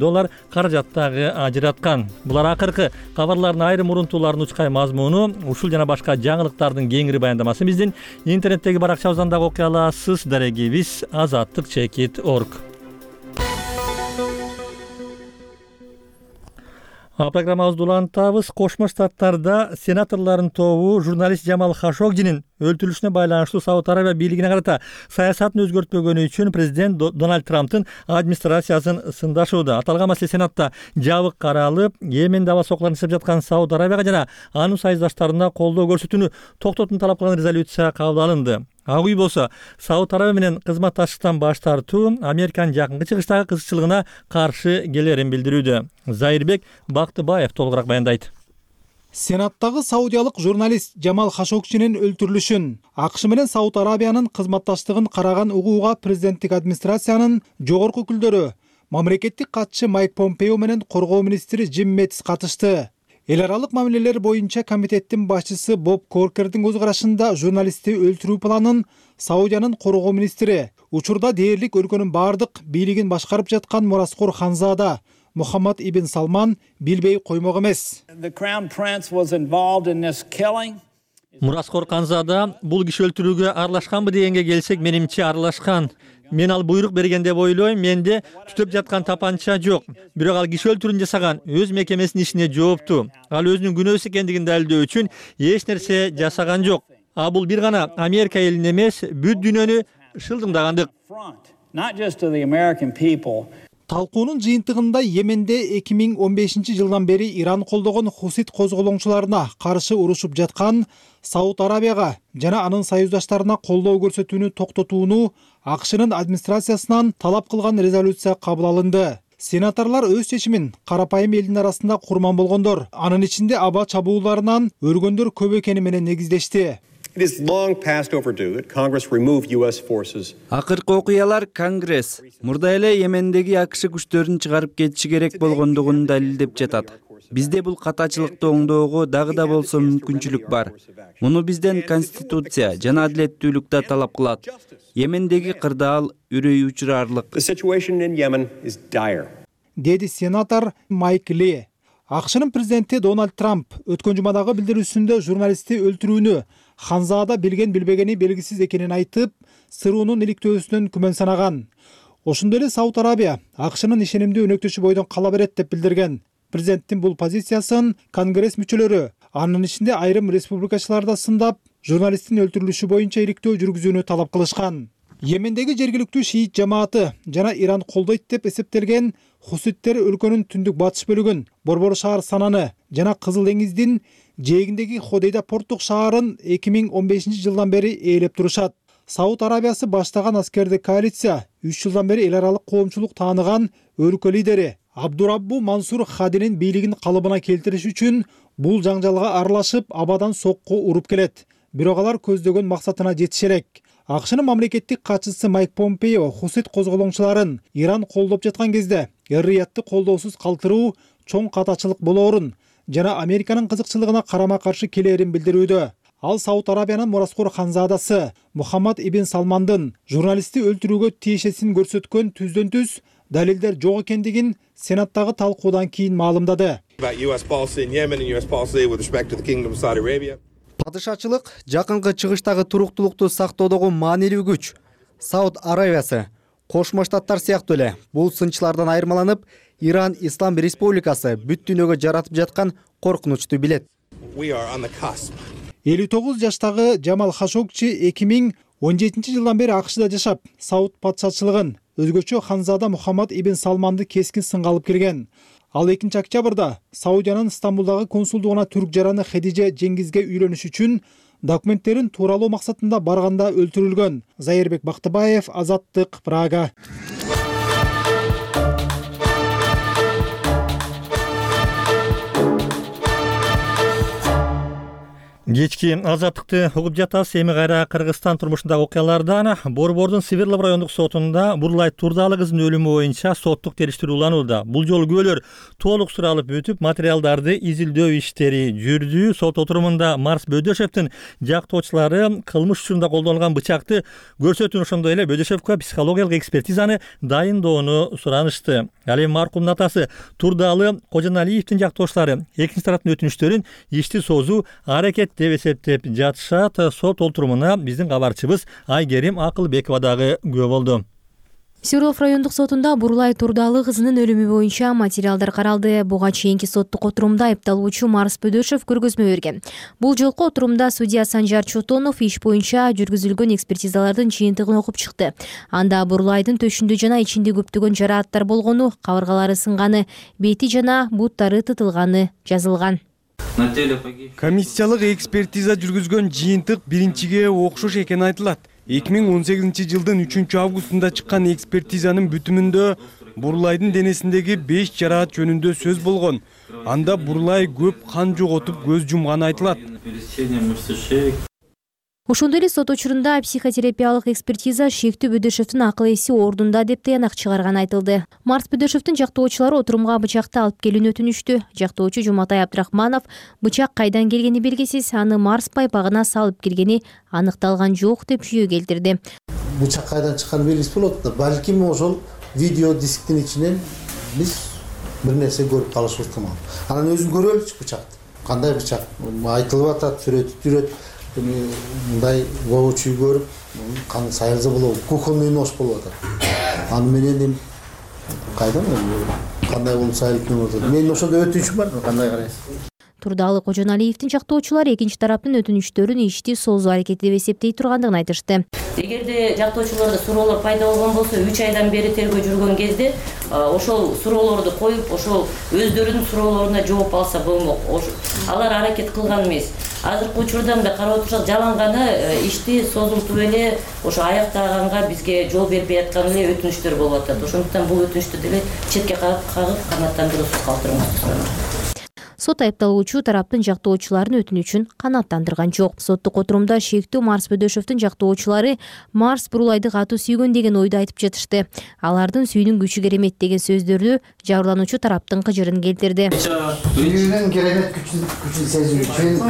каражаттагы ажыраткан. Булар акыркы кабарлардын айрым урунтууларынын учкай мазмуну. Ушул жана башка жаңылыктардын кеңири баяндамасын биздин интернеттеги баракчабыздан дагы окуй аласыз. Дарегибиз azatlyk.org. Программабызды улантабыз. Кошмо Штаттарда сенаторлордун тобу журналист Жамал Хашогжинин өлтүрүлүшүнө байланыштуу Сауд Арабия бийлигине карата саясатын өзгөртпөгөнү үчүн президент Дональд Трамптын администрациясын сындашууда. Аталган маселе Сенатта жабык каралып, Йеменде аба сокуларын жасап жаткан Сауд Арабияга жана анын союздаштарына колдоо көрсөтүүнү токтотууну талап кылган резолюция кабыл алынды. Ак үй болсо Сауд Арабия менен кызматташтыктан баш тартуу Американын жакынкы чыгыштагы кызыкчылыгына каршы келерин билдирүүдө. Зайырбек Бактыбаев толугураак баяндайт.
Сенаттагы саудиялык журналист Жамал Хашогжинин өлтүрүлүшүн АКШ менен Сауд Арабиянын кызматташтыгын караган угууга президенттик администрациянын жогорку өкүлдөрү, мамлекеттик катчы Майк Помпео менен коргоо министри Джим Мэтис катышты. Эл аралык мамилелер боюнча комитеттин башчысы Боб Коркердин көз карашында журналистти өлтүрүү планын Саудиянын коргоо министри, учурда дээрлик өлкөнүн бардык бийлигин башкарып жаткан мураскор ханзада Мухаммад ибн Салман билбей коймок эмес.
Мураскор ханзада бул киши өлтүрүүгө аралашканбы дегенге келсек, менимче аралашкан. Мен ал буйрук берген деп ойлойм. Менде түтөп жаткан тапанча жок. Бирок ал киши өлтүрүүнү жасаган өз мекемесинин ишине жоопту. Ал өзүнүн күнөөсү экендигин далилдөө үчүн эч нерсе жасаган жок. А бул бир гана Америка элин эмес, бүт дүйнөнү шылдыңдагандык.
Талкуунун жыйынтыгында Йеменде 2015 жылдан бери Иран колдогон хусит козголоңчуларына каршы урушуп жаткан Сауд Арабияга жана анын союздаштарына колдоо көрсөтүүнү токтотууну АКШнын администрациясынан талап кылган резолюция кабыл алынды. Сенаторлор өз чечимин карапайым элдин арасында курман болгондор, анын ичинде аба чабууларынан өлгөндөр көп экени менен негиздешти.
Акыркы окуялар Конгресс мурда эле Йемендеги АКШ күчтөрүн чыгарып кетиши керек болгондугун далилдеп жатат. Бизде бул катачылыкты оңдоого дагы да болсо мүмкүнчүлүк бар. Муну бизден Конституция жана адилеттүүлүк да талап кылат. Йемендеги кырдаал үрөй учурарлык.
Деди сенатор Майк Ли. АКШнын президенти Дональд Трамп өткөн жумадагы билдирүүсүндө журналистти өлтүрүүнү ханзада билген билбегени белгисиз экенин айтып, сыруунун иликтөөсүнөн күмөн санаган. Ошондой эле Сауд Арабия АКШнын ишенимдүү өнөктөшү бойдон кала берет деп билдирген. Президенттин бул позициясын Конгресс мүчөлөрү, анын ичинде айрым республикачылар да сындап, журналисттин өлтүрүлүшү боюнча иликтөө жүргүзүүнү талап кылышкан. Йемендеги жергиликтүү шиит жамааты жана Иран колдойт деп эсептелген хуситтер өлкөнүн түндүк батыш бөлүгүн, Борбор шаар Сананы жана Кызыл деңиздин жээгиндеги Ходейда порттук шаарын 2015 жылдан бери ээлеп турушат. Сауд Арабиясы баштаган аскердик коалиция 3 жылдан бери эл аралык коомчулук тааныган өлкө лидери Абдураббу Мансур Хадинин бийлигин калыбына келтириш үчүн бул жаңжалга аралашып, абадан сокку уруп келет. Бирок алар көздөгөн максатына жетише элек. АКШнын мамлекеттик катчысы Майк Помпео хусит козголоңчуларын Иран колдоп жаткан кезде эр-риятты колдоосуз калтыруу чоң катачылык болоорун жана Американын кызыкчылыгына карама-каршы келерин билдирүүдө. Ал Сауд Арабиянын мураскор ханзадасы Мухаммад ибн Салмандын журналистти өлтүрүүгө тиешесин көрсөткөн түздөн-түз далилдер жок экендигин Сенаттагы талкуудан кийин маалымдады.
Падышачылык жакынкы чыгыштагы туруктуулукту сактоодогу маанилүү күч. Сауд Арабиясы, Кошмо Штаттар сыяктуу эле бул сынчылардан айырмаланып, Иран Ислам Республикасы бүт дүйнөгө жаратып жаткан коркунучту билет.
59 жаштагы Жамал Хашогчи 2017 жылдан бери АКШда жашап, Сауд патшачылыгын, өзгөчө Ханзада Мухаммад ибн Салманды кескин сынга алып келген. Ал 2 октябрда Саудиянын Стамбулдагы консулдугуна түрк жараны Хедиже Жеңгизге үйлөнүш үчүн документтерин тууралоо максатында барганда өлтүрүлгөн. Зайырбек Бактыбаев, Азаттык, Прага.
Кечки Азаттыкты угуп жатасыз. Эми кайра Кыргызстан турмушундагы окуялардан. Борбордун Свердлов райондук сотунда Бурлай Турдалы кыздын өлүмү боюнча соттук териштирүү уланууда. Бул жолу күбөлөр толук суралып өтүп, материалдарды изилдөө иштери жүрдү. Сот отурумунда Марс Бөдөшевдин жактоочулары кылмыш учурунда колдонулган бычакты көрсөтүүнү, ошондой эле Бөдөшевгө психологиялык экспертизаны дайындоону суранышты. Ал эми маркумдун атасы Турдалы Кожоналиевдин жактоочулары экинчи тараптын өтүнүчтөрүн ишти созуу аракет деп эсептеп жатышат. Сот отурумуна биздин кабарчыбыз Айгерим Акылбекова дагы күбө болду.
Свердлов райондук сотунда Бурлай Турдалы кызынын өлүмү боюнча материалдар каралды. Буга чейинки соттук отурумда айыпталуучу Марс Бөдөшев көргөзмө берген. Бул жолку отурумда судья Санжар Чотонов иш боюнча жүргүзүлгөн экспертизалардын жыйынтыгын окуп чыкты. Анда Бурлайдын төшүндө жана ичинде көптөгөн жарааттар болгону, кабыргалары сынганы, бети жана буттары тытылганы жазылган.
Комиссиялык экспертиза жүргүзгөн жыйынтык биринчиге окшош экени айтылат. 2018 жылдын 3 августунда чыккан экспертизанын бүтүмүндө Бурлайдын денесиндеги 5 жараат жөнүндө сөз болгон. Анда Бурлай көп кан жоготуп көз жумганы айтылат.
Ошондой эле сот учурунда психотерапиялык экспертиза шектүү Бөдөшевдин акыл эси ордунда деп таянак чыгарган айтылды. Марс Бөдөшевдин жактоочулары отурумга бычакты алып келүүнү өтүнүштү. Жактоочу Жуматай Абдрахманов бычак кайдан келгени белгисиз, аны Марс пайпагына салып келгени аныкталган жок деп жүйө келтирди.
Бычак кайдан чыкканы белгисиз болот да, балким ошол видео дисктин ичинен биз бир нерсе көрүп калышыбыз ыктымал. Анан өзүн көрөлүчү бычакты. Кандай бычак айтылып атат, сүрөтүп жүрөт. Мындай воочу көрүп, каны сайылза болобу, кухонный нож болуп атат. Аны менен кайдан кандай болуп сайылып менен атат. Менин ошондой өтүнүчүм бар, кандай карайсыз?
Турдалы Кожоналиевдин жактоочулары экинчи тараптын өтүнүчтөрүн ишти созуу аракети деп эсептей тургандыгын айтышты.
Эгерде жактоочуларда суроолор пайда болгон болсо, 3 айдан бери тергөө жүргөн кезде ошол суроолорду коюп, ошол өздөрүнүн суроолоруна жооп алса болмок. Алар аракет кылган эмес. Азыркы учурда мындай карап отурсак, жаланганы ишти созултуп эле ошо аяктаганга бизге жол бербей аткан эле өтүнүчтөр болуп атат. Ошондуктан бул өтүнүчтү деле четке кагып канааттандыруусуз калтырыңызды сурайм.
Сот айыпталуучу тараптын жактоочуларынын өтүнүчүн канааттандырган жок. Соттук отурумда шектүү Марс Бөдөшевдин жактоочулары Марс Бурлайды катуу сүйгөн деген ойду айтып жатышты. Алардын сүйүүнүн күчү керемет деген сөздөрдү жабырлануучу тараптын кыжырын келтирди.
Сүйүүнүн керемет күчүн сезүү үчүн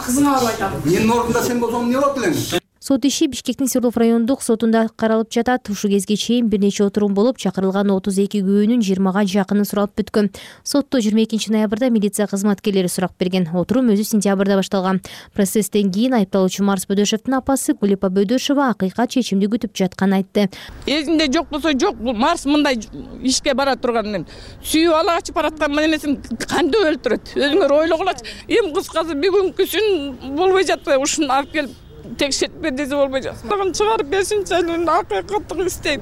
кызыңа барып айтам. Менин ордумда сен болсоң эмне болот элең?
Сот иши Бишкектин Свердлов райондук сотунда каралып жатат. Ушу кезге чейин бир нече отурум болуп, чакырылган 32 күбөнүн 20га жакыны суралып бүткөн. Сотто 22 ноябрда милиция кызматкерлери сурак берген. Отурум өзү сентябрда башталган. Процесстен кийин айыпталуучу Марс Бөдөшевдин апасы Гулипа Бөдөшева акыйкат чечимди күтүп жатканын айтты.
Эзинде жок болсо жок, бул Марс мындай ишке бара турганын сүйүп ала качып бараткан менесин кантип өлтүрөт? Өзүңөр ойлогулачы. Эң кыскасы бүгүнкүсүн болбой жатты, ушуну алып келип текшертпе десе болбой жатат. Дагы чыгарып берсинчи, акыйкаттык istейм.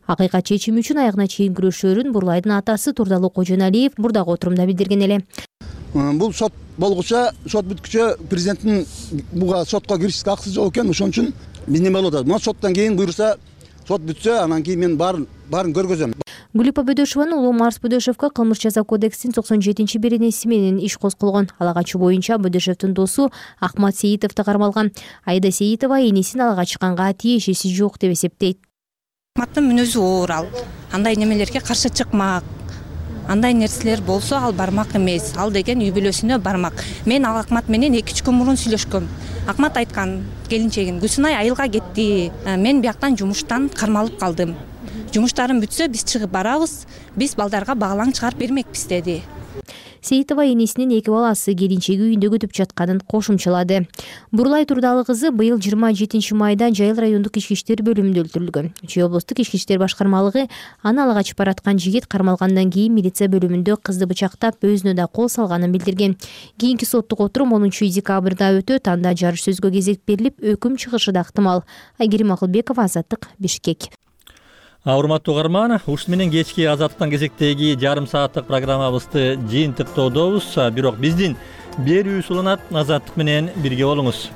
Акыйкат чечими үчүн аягына чейин күрөшөрүн Бурлайдын атасы Турдалы Кожоналиев мурдагы отурумда билдирген эле.
Бул сот болгуча, сот бүткүчө президенттин буга сотко киришке акысы жок экен. Ошон үчүн биз неме болуп атат? Мына соттон кийин буйрса, сот бүтсө, анан кийин мен баарын көргөзөм.
Гулипа Бөдөшеванын уулу Марс Бөдөшевге кылмыш жаза кодексинин 97-беренеси менен иш козголгон. Алагачы боюнча Бөдөшевдин досу Ахмат Сейитовду кармалган. Айда Сейитова энесин ала чыкканга тиешеси жок деп эсептейт.
Ахматтын мүнөзү оор ал. Андай немелерге каршы чыкмак. Андай нерселер болсо ал бармак эмес. Ал деген үй бүлөсүнө бармак. Мен ал Ахмат менен 2-3 күн мурун сүйлөшкөм. Ахмат айткан келинчегин Гүлсүнай айылга кетти. Мен бияктан жумуштан кармалып калдым. Жумуштарым бүтсө биз чыгып барабыз, биз балдарга баглаң чыгарып бермекпиз деди.
Сейитова энесинин 2 баласы келинчеги үйүндө күтүп жатканын кошумчалады. Бурулай Турдалы кызы быйыл 27 майда Жайыл райондук ички иштер бөлүмүндө өлтүрүлгөн. Чүй облустук ички иштер башкармалыгы аны ала качып бараткан жигит кармалгандан кийин милиция бөлүмүндө кызды бычактап, өзүнө да кол салганын билдирген. Кийинки соттук отурум 10 декабрда өтөт. Анда жарыш сөзгө кезек берилип, өкүм чыгышы да ыктымал. Айгерим Акылбекова, Азаттык, Бишкек.
Урматтуу угарман, ушун менен кечки Азаттыктан кезектеги жарым сааттык программабызды жыйынтыктоодобуз. Бирок биздин берүүбүз уланат. Азаттык менен бирге болуңуз.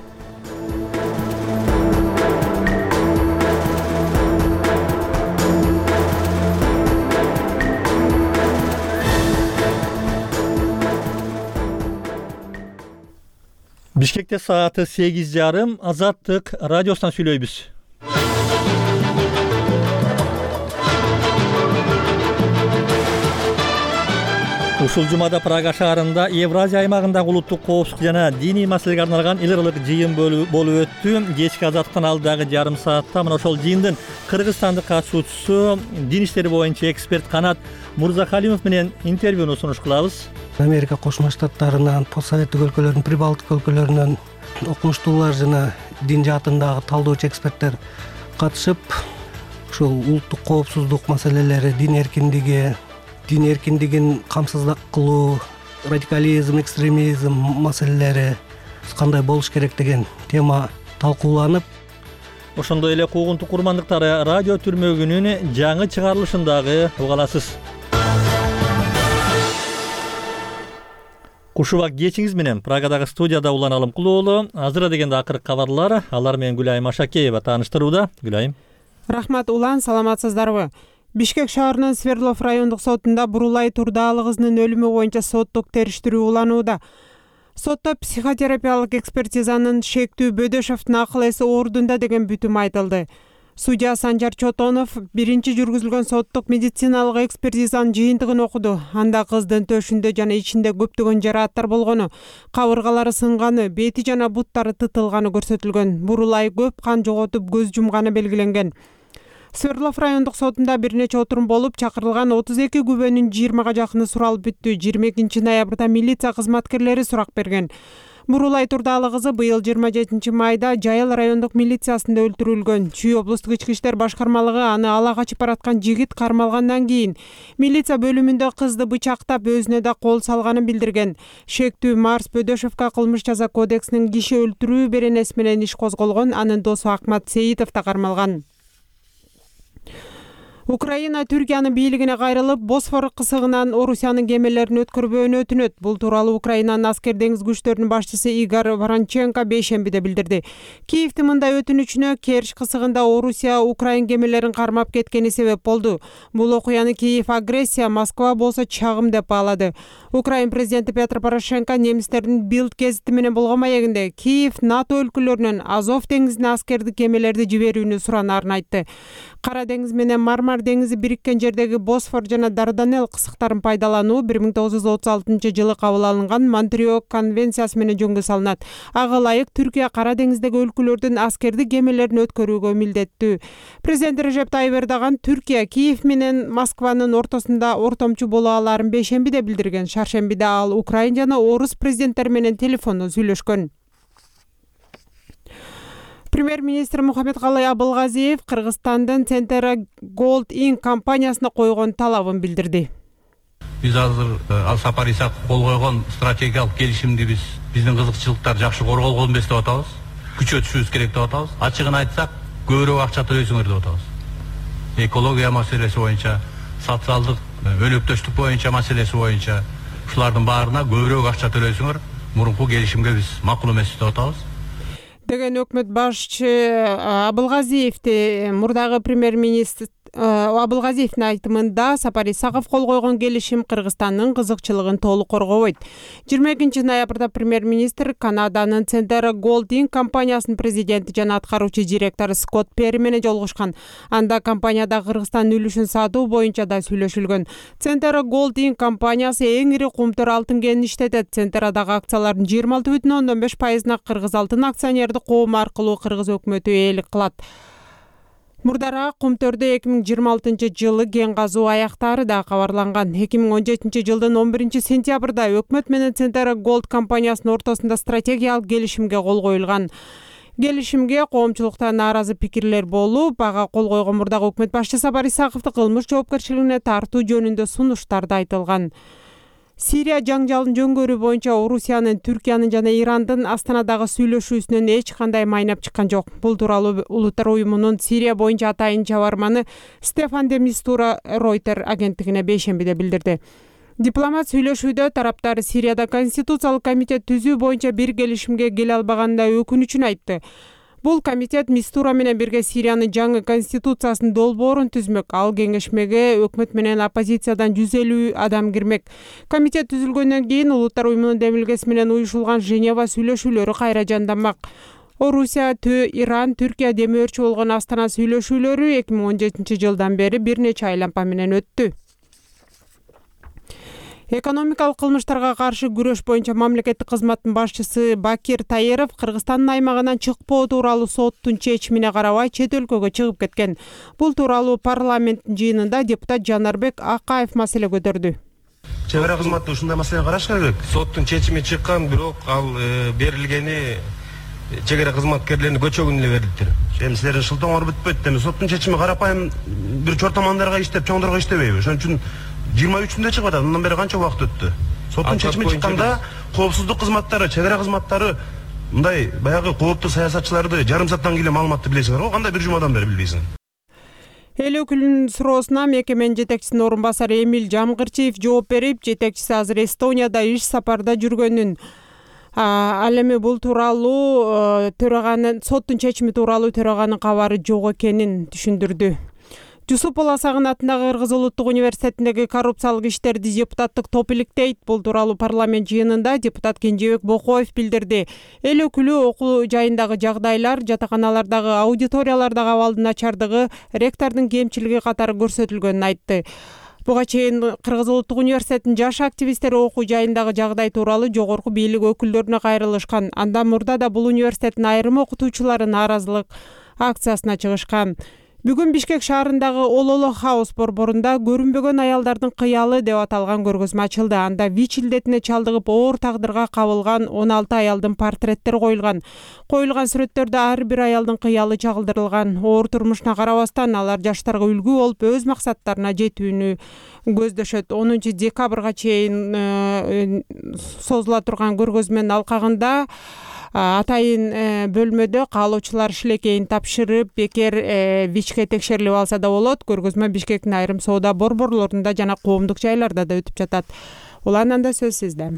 Бишкекте сааты 8:30. Азаттык радиосунан сүйлөйбүз. Ушул жумада Прага шаарында Евразия аймагындагы улуттук коопсуздук жана диний маселеге арналган эл аралык жыйын болуп өттү. Кечки Азаттыктан алдагы жарым саатта мына ошол жыйындын Кыргызстандык катышуучусу, дин иштери боюнча эксперт Канат Мурзахалимов менен интервьюну сунуш кылабыз.
Америка Кошмо Штаттарынан, постсоветтик өлкөлөрдүн, Прибалтика өлкөлөрүнөн окумуштуулар жана дин жаатындагы талдоочу эксперттер катышып, ушул улуттук коопсуздук маселелери, дин эркиндигин камсыздык кылуу, радикализм, экстремизм маселелери кандай болуш керек деген тема талкууланып,
ошондой эле куугунтук курмандыктары радио түрмөгүнүн жаңы чыгарылышындагы уга аласыз. Кушубак кечиңиз менен Прагадагы студияда Улан Алымкулуулу. Азыр дегенде акыркы кабарлар, алар менен Гүлайым Ашакеева тааныштырууда. Гүлайым.
Рахмат Улан, саламатсыздарбы? Бишкек шаарынын Свердлов райондук сотунда Бурулай Турдалы кызынын өлүмү боюнча соттук териштирүү уланууда. Сотто психотерапиялык экспертизанын шектүү Бөдөшевдун акыл эси ордунда деген бүтүм айтылды. Судья Санжар Чотонов биринчи жүргүзүлгөн соттук медициналык экспертизанын жыйынтыгын окуду. Анда кыздын төшүндө жана ичинде көптөгөн жарааттар болгону, кабыргалары сынганы, бети жана буттары тытылганы көрсөтүлгөн. Бурулай көп кан жоготуп көз жумганы белгиленген. Свердлов райондук сотунда бир нече отурум болуп, чакырылган 32 күбөнүн 20га жакыны суралып бүттү. 22 ноябрда милиция кызматкерлери сурак берген. Бурулай Турдалы кызы быйыл 27 майда Жайыл райондук милициясында өлтүрүлгөн. Чүй облустук ички иштер башкармалыгы аны ала качып бараткан жигит кармалгандан кийин милиция бөлүмүндө кызды бычактап, өзүнө да кол салганын билдирген. Шектүү Марс Бөдөшевка кылмыш жаза кодексинин киши өлтүрүү беренеси менен иш козголгон. Анын досу Акмат Сейитов да кармалган. Украина Түркиянын бийлигине кайрылып, Босфор кысыгынан Орусиянын кемелерин өткөрбөөнү өтүнөт. Бул тууралуу Украинанын аскер деңиз күчтөрүнүн башчысы Игор Воронченко бейшембиде билдирди. Киевдин мындай өтүнүчүнө Керчь кысыгында Орусия Украин кемелерин кармап кеткени себеп болду. Бул окуяны Киев агрессия, Москва болсо чагым деп баалады. Украин президенти Петр Порошенко немистердин Билд гезити менен болгон маегинде Киев НАТО өлкөлөрүнөн Азов деңизине аскердик кемелерди жиберүүнү суранарын айтты. Кара деңиз менен Мармар деңизи бириккен жердеги Босфор жана Дарданелл кысыктарын пайдалануу 1936 жылы кабыл алынган Монтрео конвенциясы менен жөнгө салынат. Ага ылайык Түркия Кара деңиздеги өлкөлөрдүн аскердик кемелерин өткөрүүгө милдеттүү. Президент Режеп Тайып Эрдоган Түркия Киев менен Москванын ортосунда ортомчу боло аларын бейшембиде билдирген. Шаршембиде ал Украин жана Орус президенттери менен телефондон сүйлөшкөн. Премьер-министр Мухаммедкалый Абылгазиев Кыргызстандын Центера Gold Inc компаниясына койгон талабын билдирди.
Биз азыр Ал Сапар Исаков кол койгон стратегиялык келишимди биздин кызыкчылыктар жакшы корголгон эмес деп атабыз. Күчөтүшүбүз керек деп атабыз. Ачыгын айтсак, көбүрөөк акча төлөйсүңөр деп атабыз. Экология маселеси боюнча, социалдык өлөктөштүк боюнча маселеси боюнча ушулардын баарына көбүрөөк акча төлөйсүңөр. Мурунку келишимге биз макул эмес деп атабыз.
Деген өкмөт башчы Абылгазиевди мурдагы премьер-министр Абылгазиевдин айтымында Сапар Исаков кол койгон келишим Кыргызстандын кызыкчылыгын толук коргобойт. 22 ноябрда премьер-министр Канаданын Центера Gold Inc компаниясынын президенти жана аткаруучу директору Скотт Перри менен жолугушкан. Анда компанияда Кыргызстандын үлүшүн сатуу боюнча да сүйлөшүлгөн. Центера Gold Inc компаниясы эң ири кумтөр алтын кенин иштетет. Центерадагы акциялардын 26,5%-на Кыргыз алтын акционердик коому аркылуу Кыргыз өкмөтү ээлик кылат. Мурдараак Кумтөрдө 2026-жылы кен казуу аяктаары да кабарланган. 2017-жылдын 11 сентябрда өкмөт менен Центера Голд компаниясынын ортосунда стратегиялык келишимге кол коюлган. Келишимге коомчулукта нааразы пикирлер болуп, ага кол койгон мурдагы өкмөт башчысы Сапар Исаковду кылмыш жоопкерчилигине тартуу жөнүндө сунуштар да айтылган. Сирия жаңжалын жөнгөрүү боюнча Орусиянын, Түркиянын жана Ирандын Астанадагы сүйлөшүүсүнөн эч кандай майнап чыккан жок. Бул тууралуу Улуттар уюмунун Сирия боюнча атайын чабарманы Стефан де Мистура Рейтер агенттигине бейшембиде билдирди. Дипломат сүйлөшүүдө тараптар Сирияда конституциялык комитет түзүү боюнча бир келишимге келе албаганына өкүнүчүн айтты. Бул комитет Мистура менен бирге Сириянын жаңы конституциясынын долбоорун түзмөк. Ал кеңешмеге өкмөт менен оппозициядан 150 адам кирмек. Комитет түзүлгөндөн кийин Улуттар уюмунун демилгеси менен уюшулган Женева сүйлөшүүлөрү кайра жанданмак. Орусия, Иран, Түркия демөөрчү болгон Астана сүйлөшүүлөрү 2017-жылдан бери бир нече айлампа менен өттү. Экономикалык кылмыштарга каршы күрөш боюнча мамлекеттик кызматтын башчысы Бакир Таеров Кыргызстандын аймагынан чыкпоо тууралуу соттун чечимине карабай чет өлкөгө чыгып кеткен. Бул тууралуу парламенттин жыйынында депутат Жанарбек Акаев маселе көтөрдү.
Чек ара кызматы ушундай маселени караш керек. Соттун чечими чыккан, бирок ал берилгени чек ара кызматкерлеринин көчөгүнө эле берилиптир. Эми силердин шылтооңор бүтпөйт. Эми соттун чечими карапайым бир чортомандарга иштеп, чоңдорго иштебейби? Ошон үчүн 23-нде чыгып атат. Мындан бери канча убакыт өттү? Соттун чечими чыкканда коопсуздук кызматтары, чек ара кызматтары мындай баягы кооптуу саясатчыларды жарым сааттан кийин маалыматты билесиңер го, кандай бир жумадан бери билбейсиң?
Эл өкүлүнүн суроосуна мекеменин жетекчисинин орун басары Эмил Жамгырчиев жооп берип, жетекчиси азыр Эстонияда иш сапарда жүргөнүн, ал эми бул тууралуу төраганын соттун чечими тууралуу төраганын кабары жок экенин түшүндүрдү. Жусуп Баласагын атындагы Кыргыз Улуттук университетиндеги коррупциялык иштерди депутаттык топ иликтейт. Бул тууралуу парламент жыйынында депутат Кенжебек Бокоев билдирди. Эл өкүлү окуу жайындагы жагдайлар, жатаканалардагы аудиториялардагы абалдын начардыгы, ректордун кемчилиги катары көрсөтүлгөнүн айтты. Буга чейин Кыргыз Улуттук университетинин жаш активисттери окуу жайындагы жагдай тууралуу жогорку бийлик өкүлдөрүнө кайрылышкан. Андан мурда да бул университеттин айрым окутуучулары нааразылык акциясына чыгышкан. Бүгүн Бишкек шаарындагы Ололо Хаус борборунда көрүнбөгөн аялдардын кыялы деп аталган көргөзмө ачылды. Анда ВИЧ илдетине чалдыгып оор тагдырга кабылган 16 аялдын портреттери коюлган. Коюлган сүрөттөрдө ар бир аялдын кыялы чагылдырылган. Оор турмушуна карабастан алар жаштарга үлгү болуп өз максаттарына жетүүнү көздөшөт. 10 декабрга чейин созула турган көргөзмөнүн алкагында атайын бөлмөдө каалоочулар шилекейин тапшырып, бекер ВИЧке текшерилип алса да болот. Көргөзмө Бишкектин айрым соода борборлорунда жана коомдук жайларда да өтүп жатат. Улананда сөз сизде.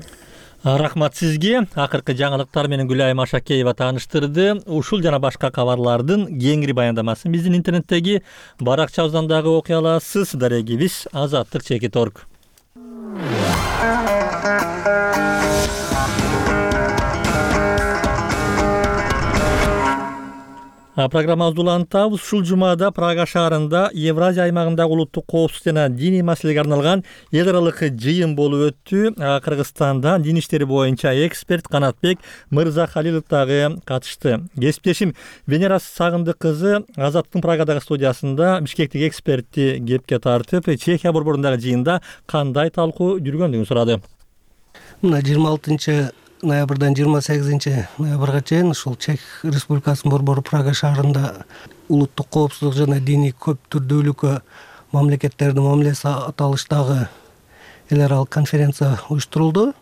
Рахмат сизге. Акыркы жаңылыктар менен Гүлайым Ашакеева тааныштырды. Ушул жана башка кабарлардын кеңири баяндамасын биздин интернеттеги баракчабыздан дагы окуй аласыз. Дарегибиз Азаттык.org. Программабызды улантабыз. Ушул жумада Прага шаарында Евразия аймагындагы улуттук коопсуздук жана диний маселеге арналган эл аралык жыйын болуп өттү. Кыргызстанда дин иштери боюнча эксперт Канатбек Мырзахалилов дагы катышты. Кесиптешим Венера Сагындык кызы Азаттыктын Прагадагы студиясында бишкектик экспертти кепке тартып, Чехия борборундагы жыйында кандай талкуу жүргөндүгүн сурады.
Мына 26 ноябрдан 28 ноябрга чейин ушул Чех Республикасынын борбору Прага шаарында улуттук коопсуздук жана диний көп түрдүүлүккө мамлекеттердин мамилеси аталыштагы эл аралык конференция уюштурулду.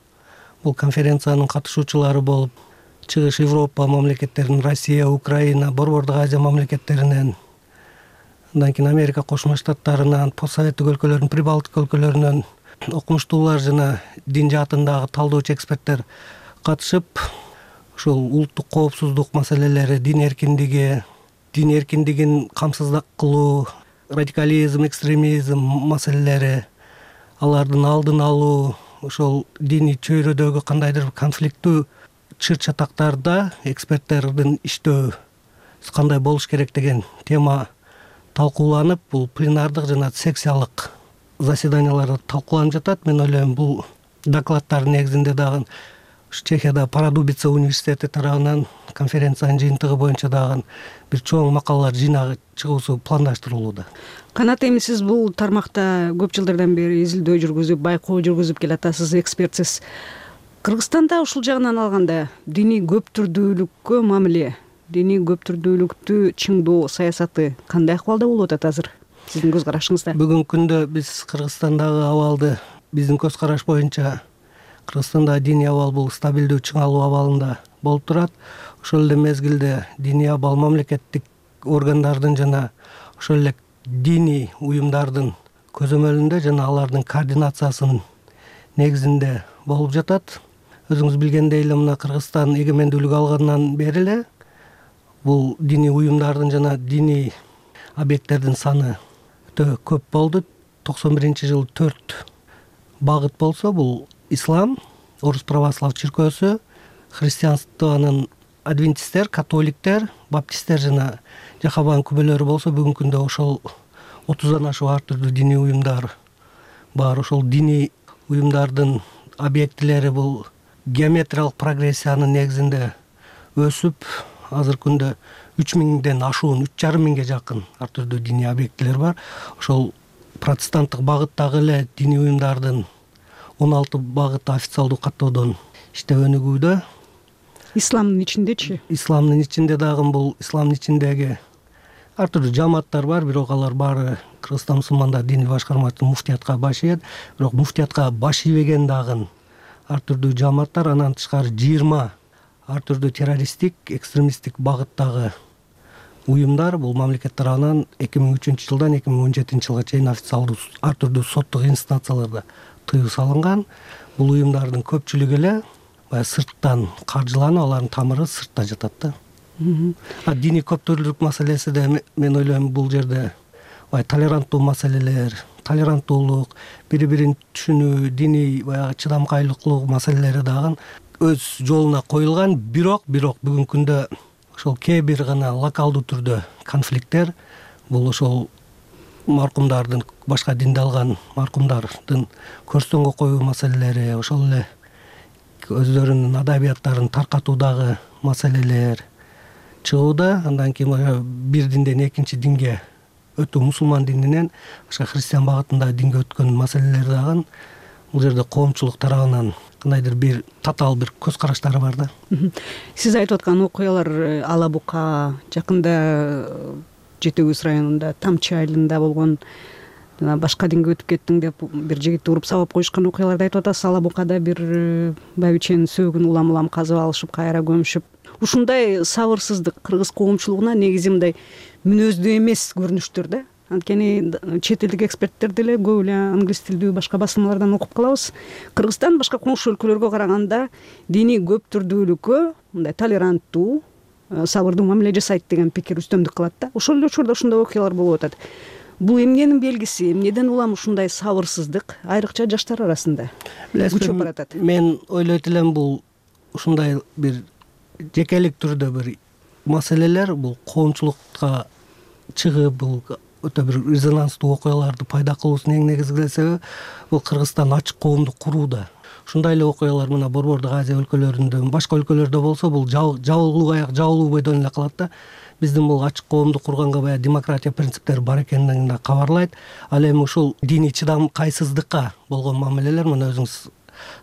Бул конференциянын катышуучулары болуп Чыгыш Европа мамлекеттеринин Россия, Украина, Борбордук Азия мамлекеттеринен, андан кийин Америка Кошмо Штаттарынан, постсоветтик өлкөлөрдүн, Прибалтика өлкөлөрүнөн окумуштуулар жана дин жаатындагы талдоочу эксперттер катышып, ушул улуттук коопсуздук маселелери, дин эркиндигин камсыздык кылуу, радикализм, экстремизм маселелери, алардын алдын алуу, ошол диний чөйрөдөгү кандайдыр конфликттүү чыр-чатактарда эксперттердин иштөө кандай болуш керек деген тема талкууланып, бул пленардык жана секциялык заседанияларда талкууланып жатат. Мен ойлойм, бул докладдардын негизинде дагы Чехияда Парадубица университети тарабынан конференциянын жыйынтыгы боюнча дагы бир чоң макалалар жыйнагы чыгуусу пландаштырылууда.
Канат, эми сиз бул тармакта көп жылдардан бери изилдөө жүргүзүп, байкоо жүргүзүп келатасыз, экспертсиз. Кыргызстанда ушул жагынан алганда диний көп түрдүүлүккө мамиле, диний көп түрдүүлүктү чыңдоо саясаты кандай акыбалда болуп атат азыр сиздин көз карашыңызда?
Бүгүнкү күндө биз Кыргызстандагы абалды биздин көз караш боюнча Кыргызстанда диний абал бул стабилдүү чыңалуу абалында болуп турат. Ошол эле мезгилде диний абал мамлекеттик органдардын жана ошол эле диний уюмдардын көзөмөлүндө жана алардын координациясынын негизинде болуп жатат. Өзүңүз билгендей эле мына Кыргызстан эгемендүүлүк алгандан бери эле бул диний уюмдардын жана диний объекттердин саны өтө көп болду. 91-жылы 4 багыт болсо, бул ислам, орус православ чиркөөсү, христианствонун адвентисттер, католиктер, баптисттер жана жахабан күбөлөрү болсо, бүгүнкү күндө ошол 30дан ашуун ар түрдүү диний уюмдар бар. Ошол диний уюмдардын объектилери бул геометриялык прогрессиянын негизинде өсүп, азыркы күндө 3000ден ашуун, 3500ге жакын ар түрдүү диний объектилер бар. Ошол протестанттык багыттагы эле диний уюмдардын 16 багыты официалдуу каттоодон иштеп өнүгүүдө.
Исламдын ичиндечи? Исламдын ичинде
дагы бул исламдын ичиндеги ар түрдүү жамааттар бар, бирок алар баары Кыргызстан мусулмандар диний башкармасынын муфтиятка баш ийет. Бирок муфтиятка баш ийбеген дагы ар түрдүү жамааттар, андан тышкары 20 ар түрдүү террористтик, экстремисттик багыттагы уюмдар бул мамлекет тарабынан 2003-жылдан 2017-жылга чейин официалдуу ар түрдүү соттук инстанцияларда тыюу салынган. Бул уюмдардын көпчүлүгү эле сырттан каржыланып, алардын тамыры сыртта жатат да. Диний көптүрлүк маселеси да мен ойлойм бул жерде толеранттуу маселелер, толеранттуулук, бири-бирин түшүнүү, диний баягы чыдамкайлыктуу маселелери дагы өз жолуна коюлган. Бирок бүгүнкү күндө ошол кээ бир гана локалдуу түрдө конфликттер, бул ошол маркумдардын, башка динди алган маркумдардын көрстөнгө коюу маселелери, ошол эле өздөрүнүн адабияттарын таркатуудагы маселелер чыгууда. Андан кийин бир динден экинчи динге өтүү, мусулман дининен башка христиан багытындагы динге өткөн маселелер дагы бул жерде коомчулук тарабынан кандайдыр бир татаал бир көз караштары бар да.
Сиз айтып аткан окуялар Ала Бука, жакында Жети Көз районунда Тамчы айылында болгон, башка динге өтүп кеттиң деп бир жигитти уруп сабап коюшкан окуяларды айтып атасыз. Ала Букада бир байбиченин сөөгүн улам казып алышып, кайра көмүшүп. Ушундай сабырсыздык кыргыз коомчулугуна негизи мындай мүнөздүү эмес көрүнүштөр да. Анткени чет элдик эксперттер деле көп эле англис тилдүү башка басылмалардан окуп калабыз. Кыргызстан башка коңшу өлкөлөргө караганда диний көп түрдүүлүккө мындай толеранттуу, сабырдуу мамиле жасайт деген пикир үстөмдүк кылат да. Ошол эле учурда ушундай окуялар болуп атат. Бул эмненин белгиси? Эмнеден улам ушундай сабырсыздык айрыкча жаштар арасында күчөп баратат?
Мен ойлойт элем бул ушундай бир жекелик түрдө бир маселелер бул коомчулукка чыгып, бул өтө бир резонанстуу окуяларды пайда кылуусунун эң негизги себеби бул Кыргызстан ачык коомду курууда. Ушундай эле окуялар мына Борбордук Азия өлкөлөрүндө, башка өлкөлөрдө болсо бул жабылуу аяк жабылуу бойдон эле калат да. Биздин бул ачык коомду курганга баягы демократия принциптери бар экенин да кабарлайт. Ал эми ушул диний чыдамкайсыздыкка болгон мамилелер, мына өзүңүз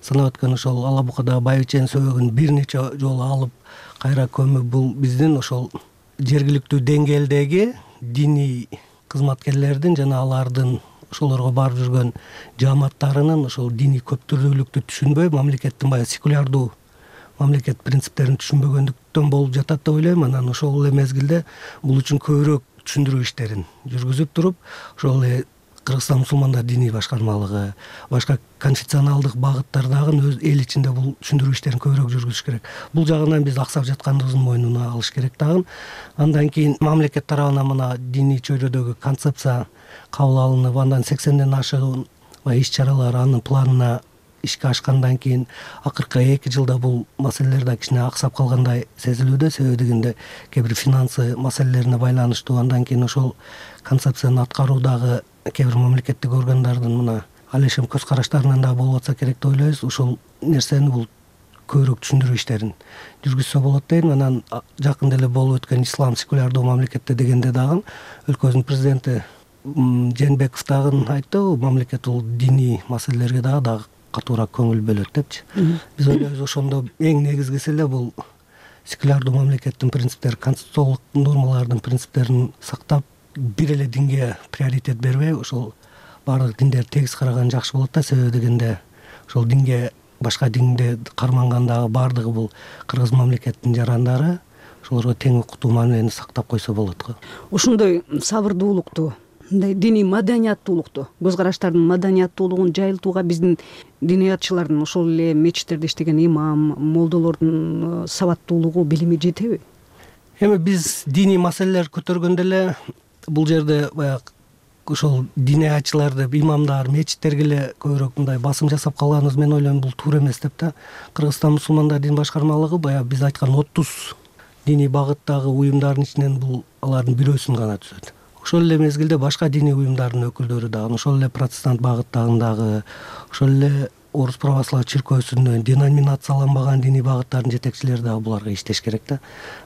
санап өткөн ошол Ала Букадагы байбиченин сөөгүн бир нече жолу алып кайра көмүп, бул биздин ошол жергиликтүү деңгээлдеги диний кызматкерлердин жана алардын ошолорго барып жүргөн жааматтарынын ошол диний көптүрдүүлүктү түшүнбөй, мамлекеттин баягы секулярдуу мамлекет принциптерин түшүнбөгөндүктөн болуп жатат деп ойлойм. Анан ошол эле мезгилде бул үчүн көбүрөөк түшүндүрүү иштерин жүргүзүп туруп, ошол эле Кыргызстан мусулмандар диний башкармалыгы, башка конфессионалдык багыттар дагы өз эл ичинде бул түшүндүрүү иштерин көбүрөөк жүргүзүш керек. Бул жагынан биз аксап жаткандыгыбыздын мойнуна алыш керек дагы. Андан кийин мамлекет тарабынан мына диний чөйрөдөгү концепция кабыл алынып, андан 80ден ашыгын иш чаралар анын планына ишке ашкандан кийин акыркы 2 жылда бул маселелер да кичине аксап калгандай сезилүүдө. Себеби дегенде кээ бир финансы маселелерине байланыштуу. Андан кийин ошол концепцияны аткаруудагы кээ бир мамлекеттик органдардын мына алешем көз караштарынан да болуп атса керек деп ойлойбуз. Ушул нерсени бул көбүрөөк түшүндүрүү иштерин жүргүзсө болот дейм. Анан жакында эле болуп өткөн ислам секулярдуу мамлекетте дегенде дагы өлкөбүздүн президенти Жээнбеков дагы айтты, мамлекет бул диний маселелерге дагы катуураак көңүл бөлөт депчи. Биз ойлойбуз ошондо эң негизгиси эле бул секулярдуу мамлекеттин принциптери, конституциялык нормалардын принциптерин сактап, бир эле динге приоритет бербей, ошол баардык диндерди тегиз караган жакшы болот да. Себеби дегенде ошол динге, башка динде кармангандагы баардыгы бул кыргыз мамлекеттин жарандары, ошолорго тең укуктуу мамилени сактап койсо болот го.
Ошондой сабырдуулукту, мындай диний маданияттуулукту, көз караштардын маданияттуулугун жайылтууга биздин диниятчылардын, ошол эле мечиттерде иштеген имам, молдолордун сабаттуулугу, билими жетеби?
Эми биз диний маселелер көтөргөндө эле бул жерде баягы ошол диниятчыларды, имамдар, мечиттерге эле көбүрөөк мындай басым жасап калганыбыз, мен ойлойм, бул туура эмес деп да. Кыргызстан мусулмандар дин башкармалыгы баягы биз айткан 30 диний багыттагы уюмдардын ичинен бул алардын бирөөсүн гана түзөт. Ошол эле мезгилде башка диний уюмдардын өкүлдөрү дагы, ошол эле протестант багыттагындагы, ошол эле Орус православ чиркөөсүнөн деноминацияланбаган диний багыттардын жетекчилери дагы буларга иштеш керек да.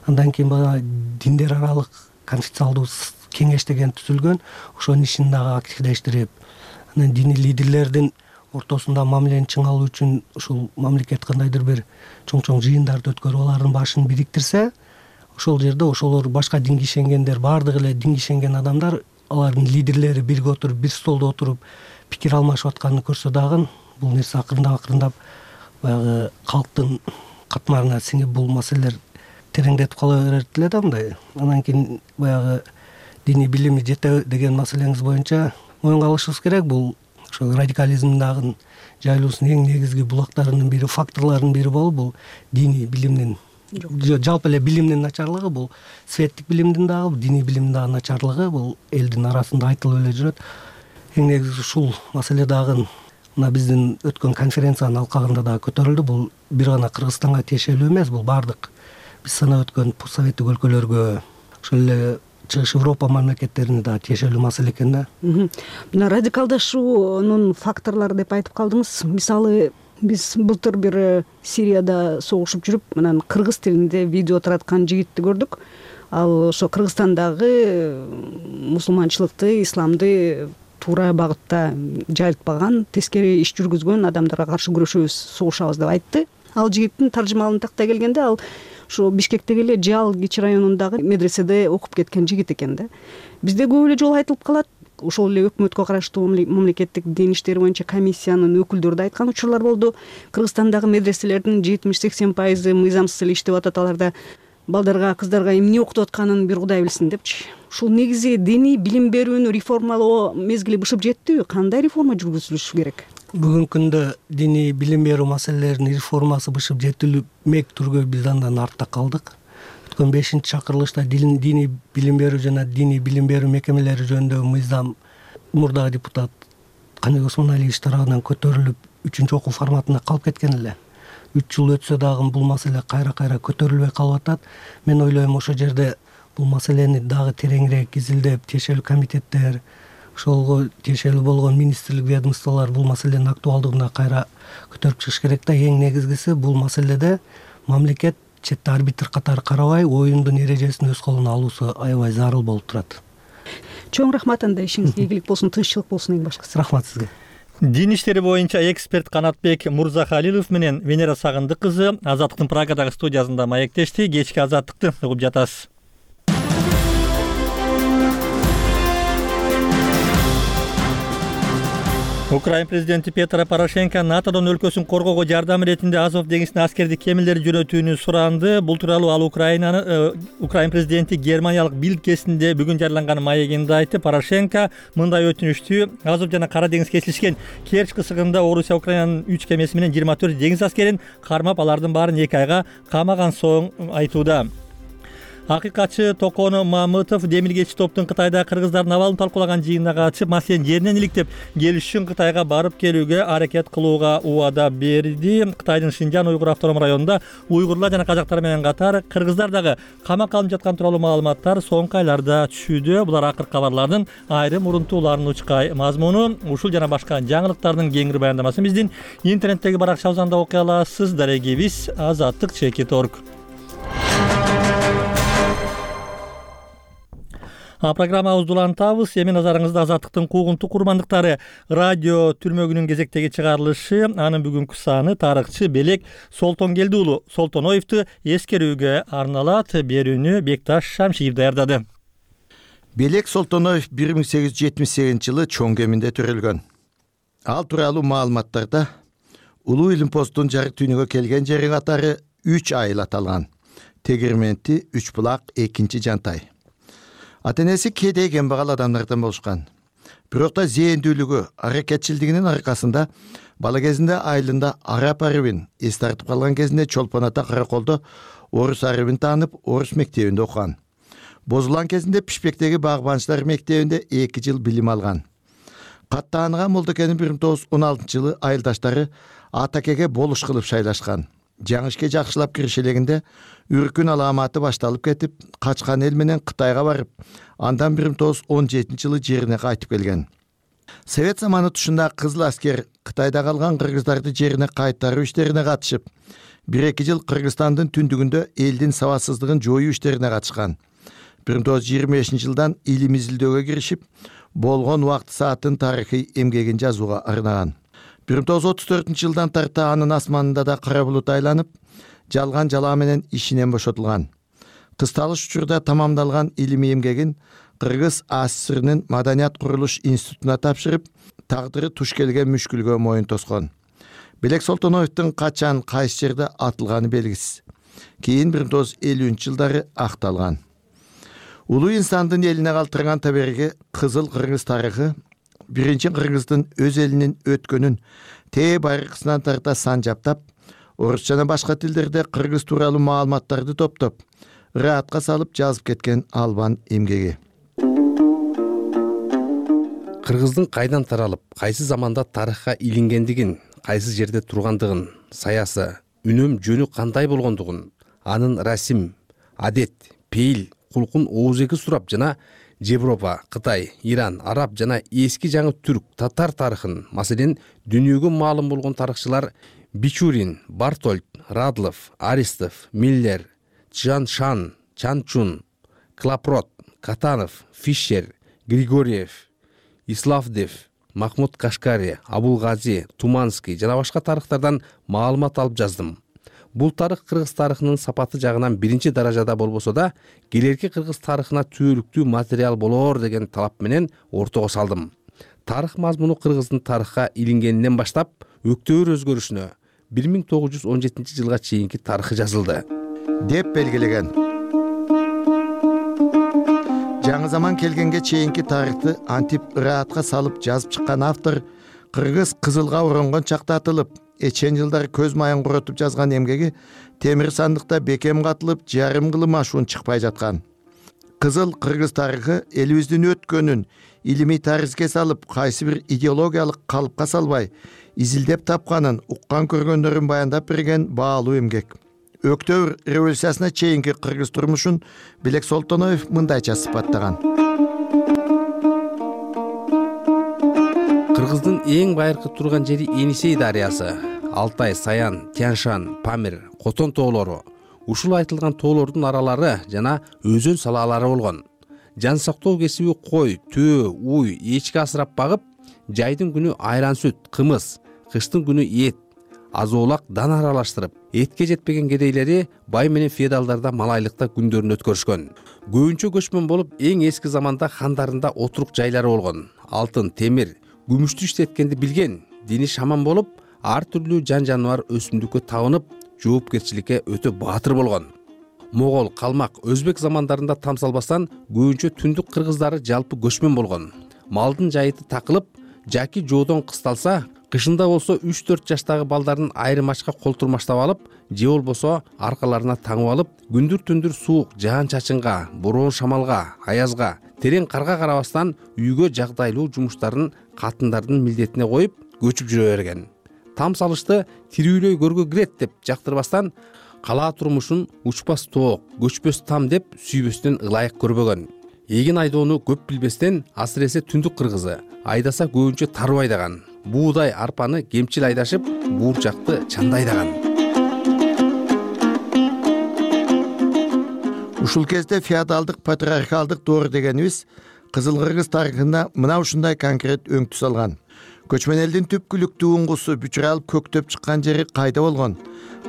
Андан кийин баягы диндер аралык конфессионалдуу кеңеш деген түзүлгөн, ошонун ишин дагы активдештирип, анан диний лидерлердин ортосунда мамилени чыңалуу үчүн ушул мамлекет кандайдыр бир чоң жыйындарды өткөрүп, алардын башын бириктирсе, ошол жерде ошолор башка динге ишенгендер, баардыгы эле динге ишенген адамдар, алардын лидерлери бирге отуруп, бир столдо отуруп пикир алмашып атканын көрсө дагы, бул нерсе акырындап баягы калктын катмарына сиңип, бул маселелер тереңдетип кала берет эле да мындай. Анан кийин баягы диний билими жете деген маселеңиз боюнча моюнга алышыбыз керек. Бул ошол радикализмдагы жайылуусунун эң негизги булактарынын бири, факторлорунун бири болуп, бул диний билимдин, жалпы эле билимдин начарлыгы, бул светтик билимдин дагы, диний билимдин дагы начарлыгы бул элдин арасында айтылып эле жүрөт. Эң негизи ушул маселе дагы мына биздин өткөн конференциянын алкагында дагы көтөрүлдү. Бул бир гана Кыргызстанга тиешелүү эмес, бул баардык биз санап өткөн постсоветтик өлкөлөргө, ошол эле Чыгыш Европа мамлекеттерине дагы тиешелүү маселе экен да.
Мына радикалдашуунун факторлору деп айтып калдыңыз. Мисалы, биз былтыр бир Сирияда согушуп жүрүп, анан кыргыз тилинде видео тараткан жигитти көрдүк. Ал ошо Кыргызстандагы мусулманчылыкты, исламды туура багытта жайылтпаган, тескери иш жүргүзгөн адамдарга каршы күрөшөбүз, согушабыз деп айтты. Ал жигиттин таржымалын тактай келгенде, ал ошо Бишкектеги эле Жал Кичи районундагы медреседе окуп кеткен жигит экен да. Бизде көп эле жолу айтылып калат. Ошол эле өкмөткө караштуу мамлекеттик дин иштери боюнча комиссиянын өкүлдөрү да айткан учурлар болду. Кыргызстандагы медреселердин 70-80% мыйзамсыз эле иштеп атат, аларда балдарга, кыздарга эмне окутуп атканын бир Кудай билсин депчи. Ушул негизи диний билим берүүнү реформалоо мезгили бышып жеттиби? Кандай реформа жүргүзүлүшү керек?
Бүгүнкү күндө диний билим берүү маселелеринин реформасы бышып жетилмек түргө биз андан артта калдык. Өткөн 5-чакырылышта диний билим берүү жана диний билим берүү мекемелери жөнүндөгү мыйзам мурдагы депутат Каныбек Осмоналиевич тарабынан көтөрүлүп 3-окуу форматына калып кеткен эле. 3 жыл өтсө дагы бул маселе кайра көтөрүлбөй калып атат. Мен ойлойм, ошол жерде бул маселени дагы тереңирээк изилдеп, тиешелүү комитеттер, ошолго тиешелүү болгон министрлик, ведомстволор бул маселенин актуалдыгына кайра көтөрүп чыгыш керек да. Эң негизгиси бул маселеде мамлекет четте арбитр катары карабай, оюндун эрежесин өз колуна алуусу аябай зарыл болуп турат.
Чоң рахмат, анда ишиңизге ийгилик болсун, тынччылык болсун эң башкысы.
Рахмат сизге.
Дин иштери боюнча эксперт Канатбек Мурзахалилов менен Венера Сагындык кызы Азаттыктын Прагадагы студиясында маектешти. Кечки Азаттыкты угуп жатасыз. Украин президенти Петро Порошенко НАТОдон өлкөсүн коргоого жардам иретинде Азов деңизине аскердик кемелерди жөнөтүүнү суранды. Бул тууралуу ал Украин президенти Германиялык Билд кезинде бүгүн жарыяланган маегинде айтты. Порошенко мындай өтүнүштү Азов жана Кара деңиз кесилишкен Керчь кысыгында Орусия Украинанын 3 кемеси менен 24 деңиз аскерин кармап, алардын баарын 2 айга камаган соң айтууда. Акыйкатчы Токоно Мамытов демилгечи топтун Кытайда кыргыздардын абалын талкуулаган жыйынына катышып, маселени жеринен иликтеп, келиш үчүн Кытайга барып келүүгө аракет кылууга убада берди. Кытайдын Шинжан уйгур автоном районунда уйгурлар жана казактар менен катар кыргыздар дагы камакка алынып жаткан тууралуу маалыматтар соңку айларда түшүүдө. Булар акыркы кабарлардын айрым урунтууларынын учкай мазмуну. Ушул жана башка жаңылыктардын кеңири баяндамасын биздин интернеттеги баракчабыздан да окуй аласыз. Дарегибиз azatlyk.org. Программабызды улантабыз. Эми назарыңызда Азаттыктын куугунтук курмандыктары радио түрмөгүнүн кезектеги чыгарылышы. Анын бүгүнкү саны тарыхчы Белек Солтонгелди уулу Солтоноевду эскерүүгө арналат. Берүүнү Бекташ Шамшиев даярдады.
Белек Солтоноев 1878 жылы Чоң Кеминде төрөлгөн. Ал тууралуу маалыматтарда Улуу Илим постунун жарык дүйнөгө келген жери катары 3 айыл аталган. Тегирменти, Үч булак, Экинчи Жантай. Ата-энеси кедей кембагал адамдардан болушкан. Бирок да зээндүүлүгү, аракетчилдигинин аркасында бала кезинде айылында араб арыбын эс тартып калган кезинде Чолпон ата Караколдо орус арыбын таанып, орус мектебинде окуган. Бозулган кезинде Пишпектеги багбанчылар мектебинде 2 жыл билим алган. Каттааныган Молдокенин 1916 жылы айылдаштары Атакеге болуш кылып шайлашкан. Жаңы ишке жакшылап киришелегинде үркүн аламаты башталып кетип, качкан эл менен Кытайга барып, андан 1917 жылы жерине кайтып келген. Совет заманы тушунда кызыл аскер Кытайда калган кыргыздарды жерине кайтаруу иштерине катышып, 1-2 жыл Кыргызстандын түндүгүндө элдин сабатсыздыгын жоюу иштерине катышкан. 1925 жылдан илим изилдөөгө киришип, болгон убакыт саатын тарыхый эмгегин жазууга арнаган. 1934 жылдан тарта анын асманында да кара булут айланып, жалган жалаа менен ишинен бошотулган. Кысталыш учурда тамамдалган илимий эмгегин Кыргыз АССРнын Маданият курулуш институтуна тапшырып, тагдыры туш келген мүшкүлгө моюн тоскон. Белек Солтоноевдун качан кайсы жерде атылганы белгисиз. Кийин 1950 жылдары акталган. Улуу инсандын элине калтырган табериги Кызыл Кыргыз тарыхы биринчи кыргыздын өз элинин өткөнүн байыркысынан тарта санжаптап, орус жана башка тилдерде кыргыз тууралуу маалыматтарды топтоп, ыраатка салып жазып кеткен албан эмгеги.
Кыргыздын кайдан таралып, кайсы заманда тарыхка илингендигин, кайсы жерде тургандыгын, саясы, үнөм жөнү кандай болгондугун, анын расим, адет, пейил, кулкун оозеги сурап жана Европа, Кытай, Иран, Араб жана эски жаңы түрк, татар тарыхын, маселен дүйнөгө маалым болгон тарыхчылар Бичурин, Бартольд, Радлов, Аристов, Миллер, Чжаншан, Чанчун, Клапрот, Катанов, Фишер, Григорьев, Иславдев, Махмуд Кашкари, Абулгази, Туманский жана башка тарыхтардан маалымат алып жаздым. Бул тарых кыргыз тарыхынын сапаты жагынан биринчи даражада болбосо да, келерки кыргыз тарыхына түбөлүктүү материал болоор деген талап менен ортого салдым. Тарых мазмуну кыргыздын тарыхка илингенинен баштап өктөөр өзгөрүшүнө 1917 жылга чейинки тарыхы жазылды
деп белгилеген. Жаңы заман келгенге чейинки тарыхты антип ыраатка салып жазып чыккан автор кыргыз кызылга оронгон чакта атылып, эчен жылдары көз майын куротуп жазган эмгеги темир сандыкта бекем катылып, жарым кылым ашуун чыкпай жаткан. Кызыл кыргыз тарыхы элибиздин өткөнүн илимий таризге салып, кайсы бир идеологиялык калыпка салбай, изилдеп тапканын, уккан көргөндөрүн баяндап берген баалуу эмгек. Өктөбүр революциясына чейинки кыргыз турмушун Белек Солтоноев мындайча сыпаттаган.
Кыргыздын эң байыркы турган жери Енисей дарыясы, Алтай, Саян, Тянь-Шань, Памир, Котон тоолору. Ушул айтылган тоолордун аралары жана өзөн салаалары болгон. Жан сактоо кесиби кой, төө, уй, эчки асырап багып, жайдын күнү айран сүт, кымыз, кыштын күнү эт, азоолак дан аралаштырып, этке жетпеген кедейлери бай менен феодалдарда малайлыкта күндөрүн өткөрүшкөн. Көбүнчө көчмөн болуп, эң эски заманда хандарында отурук жайлары болгон. Алтын, темир, күмүштү иштеткенди билген, дини шаман болуп, ар түрлүү жан жаныбар өсүмдүккө табынып, жоопкерчиликке өтө баатыр болгон. Могол, калмак, өзбек замандарында тамсалбастан көбүнчө түндүк кыргыздары жалпы көчмөн болгон. Малдын жайыты такылып, жаки жоодон кысталса, Кышында болсо 3-4 жаштагы балдарын айрым ачка колтурмаштап алып, же болбосо аркаларына таңып алып, күндүр-түндүр суук, жаан-чачынга, бороон шамалга, аязга, терең карга карабастан үйгө жагдайлуу жумуштарын катындардын милдетине коюп, көчүп жүрө берген. Там салышты тирүүлөй көргө кирет деп жактырбастан, калаа турмушун учпас тоок, көчпөс там деп сүйбөстөн ылайык көрбөгөн. Эгин айдоону көп билбестен, асыресе түндүк кыргызы, айдаса көбүнчө тарып айдаган. Буудай, арпаны кемчил айдашып, буурчакты чанда айдаган.
Ушул кезде феодалдык патриархалдык доор дегенибиз Кызыл Кыргыз тарыхында мына ушундай конкрет өңтүс алган. Көчмөн элдин түпкүлүктүү уңгусу бүчүралып көктөп чыккан жери кайда болгон?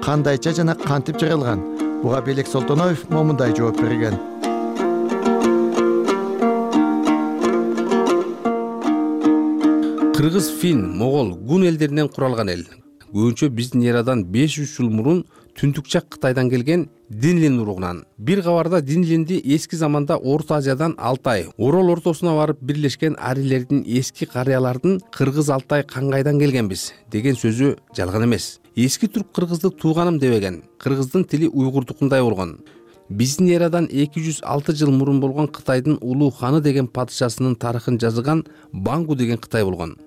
Кандайча жана кантип жаралган? Буга Белек Солтоноев момундай жооп берген.
Кыргыз, фин, могол, гун элдеринен куралган эл. Көбүнчө биздин эрадан 500 жыл мурун түндүкчак Кытайдан келген Динлин уругунан. Бир кабарда Динлинди эски заманда Орто Азиядан Алтай, Орол ортосуна барып бирлешкен арилердин эски карыялардын Кыргыз Алтай каңгайдан келгенбиз деген сөзү жалган эмес. Эски түрк кыргызды тууганым дебеген. Кыргыздын тили уйгурдукундай болгон. Биздин эрадан 206 жыл мурун болгон Кытайдын улуу ханы деген падышасынын тарыхын жазган Бангу деген Кытай болгон.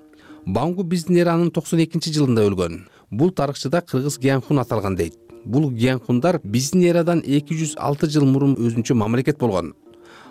Бангу биздин эранын 92-жылында өлгөн. Бул тарыхчыда Кыргыз Гиянхун аталган дейт. Бул Гиянхундар биздин эрадан 206 жыл мурун өзүнчө мамлекет болгон.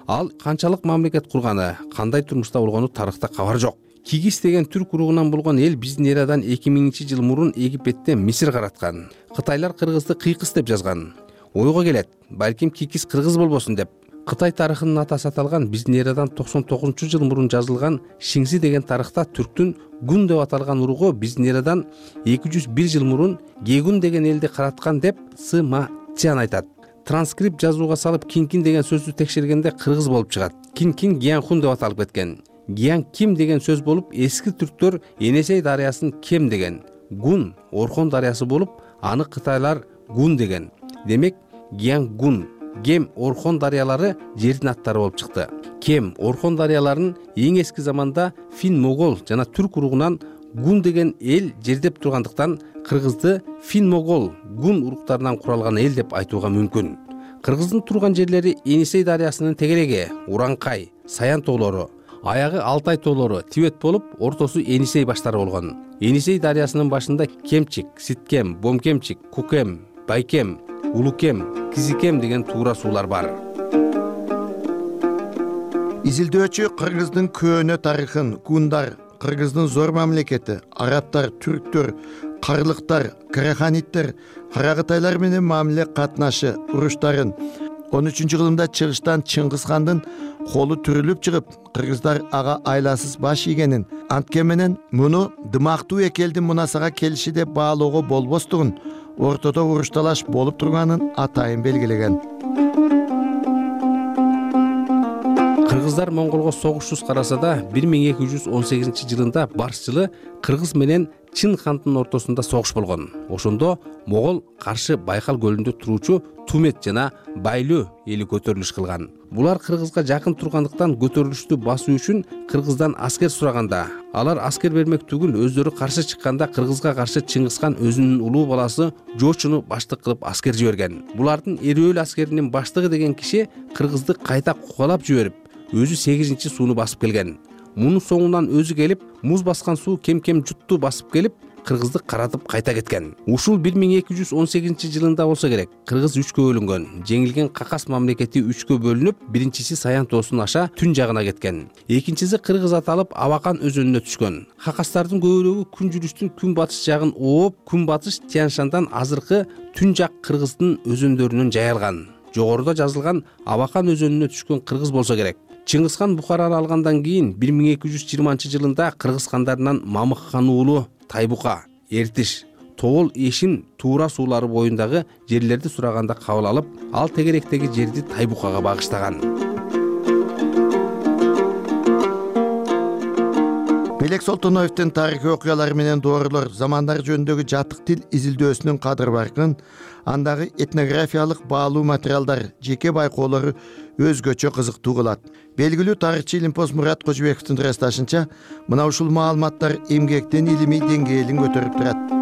Ал канчалык мамлекет курганы, кандай турмушта болгону тарыхта кабар жок. Кигис деген түрк уругунан болгон эл биздин эрадан 2000-жыл мурун Египетте Мисир караткан. Кытайлар Кыргызды кыйкыс деп жазган. Ойго келет, балким Кикис кыргыз болбосун деп. Кытай тарыхынын атасы аталган биздин эрадан 99-жыл мурун жазылган Шинси деген тарыхта түрктүн Гун деп аталган уругу биздин эрадан 201 жыл мурун Гегун деген элди караткан деп Сыма Цян айтат. Транскрипт жазууга салып Кинкин деген сөздү текшергенде кыргыз болуп чыгат. Кинкин Гиянхун деп аталып кеткен. Гиян Ким деген сөз болуп, эски түрктөр Енесей дарыясын Кем деген. Гун Орхон дарыясы болуп, аны кытайлар Гун деген. Демек Гиян Гун, Гем Орхон дарыялары жердин аттары болуп чыкты. Кем Орхон дарыяларын эң эски заманда фин могол жана түрк уругунан Гун деген эл жердеп тургандыктан кыргызды фин могол Гун уруктарынан куралган эл деп айтууга мүмкүн. Кыргыздын турган жерлери Енисей дарыясынын тегереги, Уранкай, Саян тоолору, аягы Алтай тоолору, Тибет болуп, ортосу Енисей баштары болгон. Енисей дарыясынын башында Кемчик, Ситкем, Бомкемчик, Кукем, Байкем, Улукем, Кизикем деген туура суулар бар.
Изилдөөчү Кыргыздын көөнө тарыхын, гундар, Кыргыздын зор мамлекети, арабтар, түрктөр, карлыктар, караханиттер, каракытайлар менен мамиле катнашы, уруштарын 13-кылымда чыгыштан Чыңгыз хандын колу түрүлүп чыгып, кыргыздар ага айласыз баш ийгенин, антке менен муну дымактуу эки элдин мунасага келиши деп баалоого болбостугун, ортодо урушталаш болуп турганын атайын белгилеген.
Кыргыздар монголго согушсуз караса да 1218-жылында барсчылы кыргыз менен Чын хандын ортосунда согуш болгон. Ошондо могол каршы Байкал көлүндө туруучу Тумет жана Байлөө эли көтөрүлүш кылган. Булар кыргызга жакын тургандыктан көтөрүлүштү басуу үчүн кыргыздан аскер сураганда, алар аскер бермек түгүл өздөрү каршы чыкканда кыргызга каршы Чыңгыз хан өзүнүн улуу баласы Жочуну баштык кылып аскер жиберген. Булардын Эрөөл аскеринин баштыгы деген киши кыргызды кайта кукалап жиберип, өзү 8-сууну басып келген. Мунун соңунан өзү келип, муз баскан суу кем-кем жутту басып келип, кыргызды каратып кайта кеткен. Ушул 1218-жылында болсо керек. Кыргыз 3кө бөлүнгөн. Жеңилген Какас мамлекети 3кө бөлүнүп, биринчиси Саян тоосун аша түн жагына кеткен. Экинчиси Кыргыз аталып Абакан өзөнүнө түшкөн. Какастардын көбүрөөгү күн жүрүштүн күн батыш жагын ооп, күн батыш Тяншандан азыркы түн жак Кыргыздын өзөндөрүнөн жайылган. Жогоруда жазылган Абакан өзөнүнө түшкөн кыргыз болсо керек. Чыңгыз хан Бухараны алгандан кийин 1220-жылында кыргыз хандарынан Мамык хан уулу Тайбука, Эртиш, Тоол, Эшин туура суулары боюндагы жерлерди сураганда кабыл алып, ал тегеректеги жерди Тайбукага багыштаган.
Белек Солтоноевдин тарыхый окуялары менен доорлор замандар жөнүндөгү жатык тил изилдөөсүнүн кадыр баркын андагы этнографиялык баалуу материалдар, жеке байкоолору өзгөчө кызыктуу кылат. Белгилүү тарыхчы Илимпоз Мурат Кожобековдун ырасташынча, мына ушул маалыматтар эмгектин илимий деңгээлин көтөрүп турат.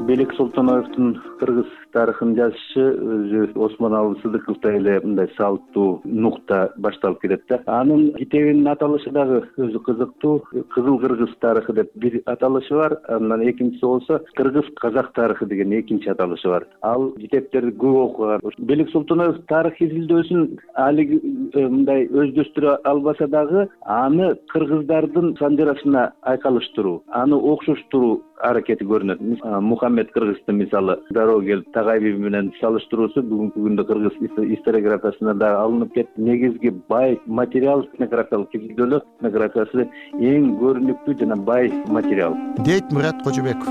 Белек Солтоноевдун кыргыз тарыхын жазышы өзү Осмоналы Сыдыковдой эле мындай салттуу нукта башталып келет да. Анын китебинин аталышы дагы өзү кызыктуу. Кызыл кыргыз тарыхы деп бир аталышы бар, андан экинчиси болсо кыргыз казак тарыхы деген экинчи аталышы бар. Ал китептерди көп окуган. Белек Солтоноев тарых изилдөөсүн али мындай өздөштүрө албаса дагы, аны кыргыздардын санжарасына айкалыштыруу, аны окшоштуруу аракети көрүнөт. Мухаммед Кыргыздын мисалы дароо келип Тагайби менен салыштыруусу бүгүнкү күндө кыргыз историографиясына да алынып кетти. Негизги бай материал этнографиялык изилдөөлөр этнографиясы эң көрүнүктүү жана бай материал,
дейт Мурат Кожобеков.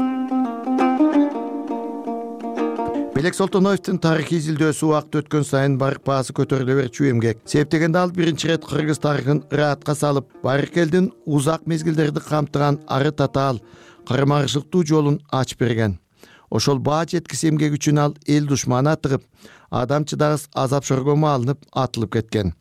Белек Солтоноевдун тарыхый изилдөөсү убакыт өткөн сайын барып баасы көтөрүлө берчү эмгек. Себептегенде ал биринчи ирет кыргыз тарыхын ыраатка салып, байыркы элдин узак мезгилдерди камтыган ары татаал, кармарышыктуу жолун ачып берген. Ошол баа жеткис эмгек үчүн ал эл душманы атыгып, адам чыдагыс азап шоргомо алынып атылып кеткен.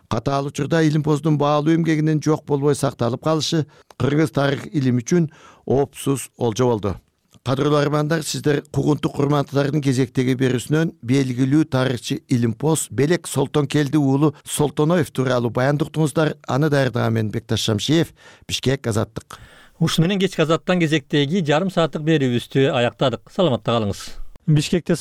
Катаал учурда Илимпоздун баалуу эмгегинин жок болбой сакталып калышы кыргыз тарых илими үчүн оопсуз олжо болду. Кадырлуу армандар, сиздер кугунтук курматтардын кезектеги берүүсүнөн белгилүү тарыхчы Илимпоз Белек Солтонкелди уулу Солтоноев тууралуу баяндап уктуңуздар. Аны даярдаган мен Бекташ Шамшиев, Бишкек, Азаттык.
Ушуну менен кечки Азаттан кезектеги жарым сааттык берүүбүздү аяктадык. Саламатта калыңыз. Бишкекте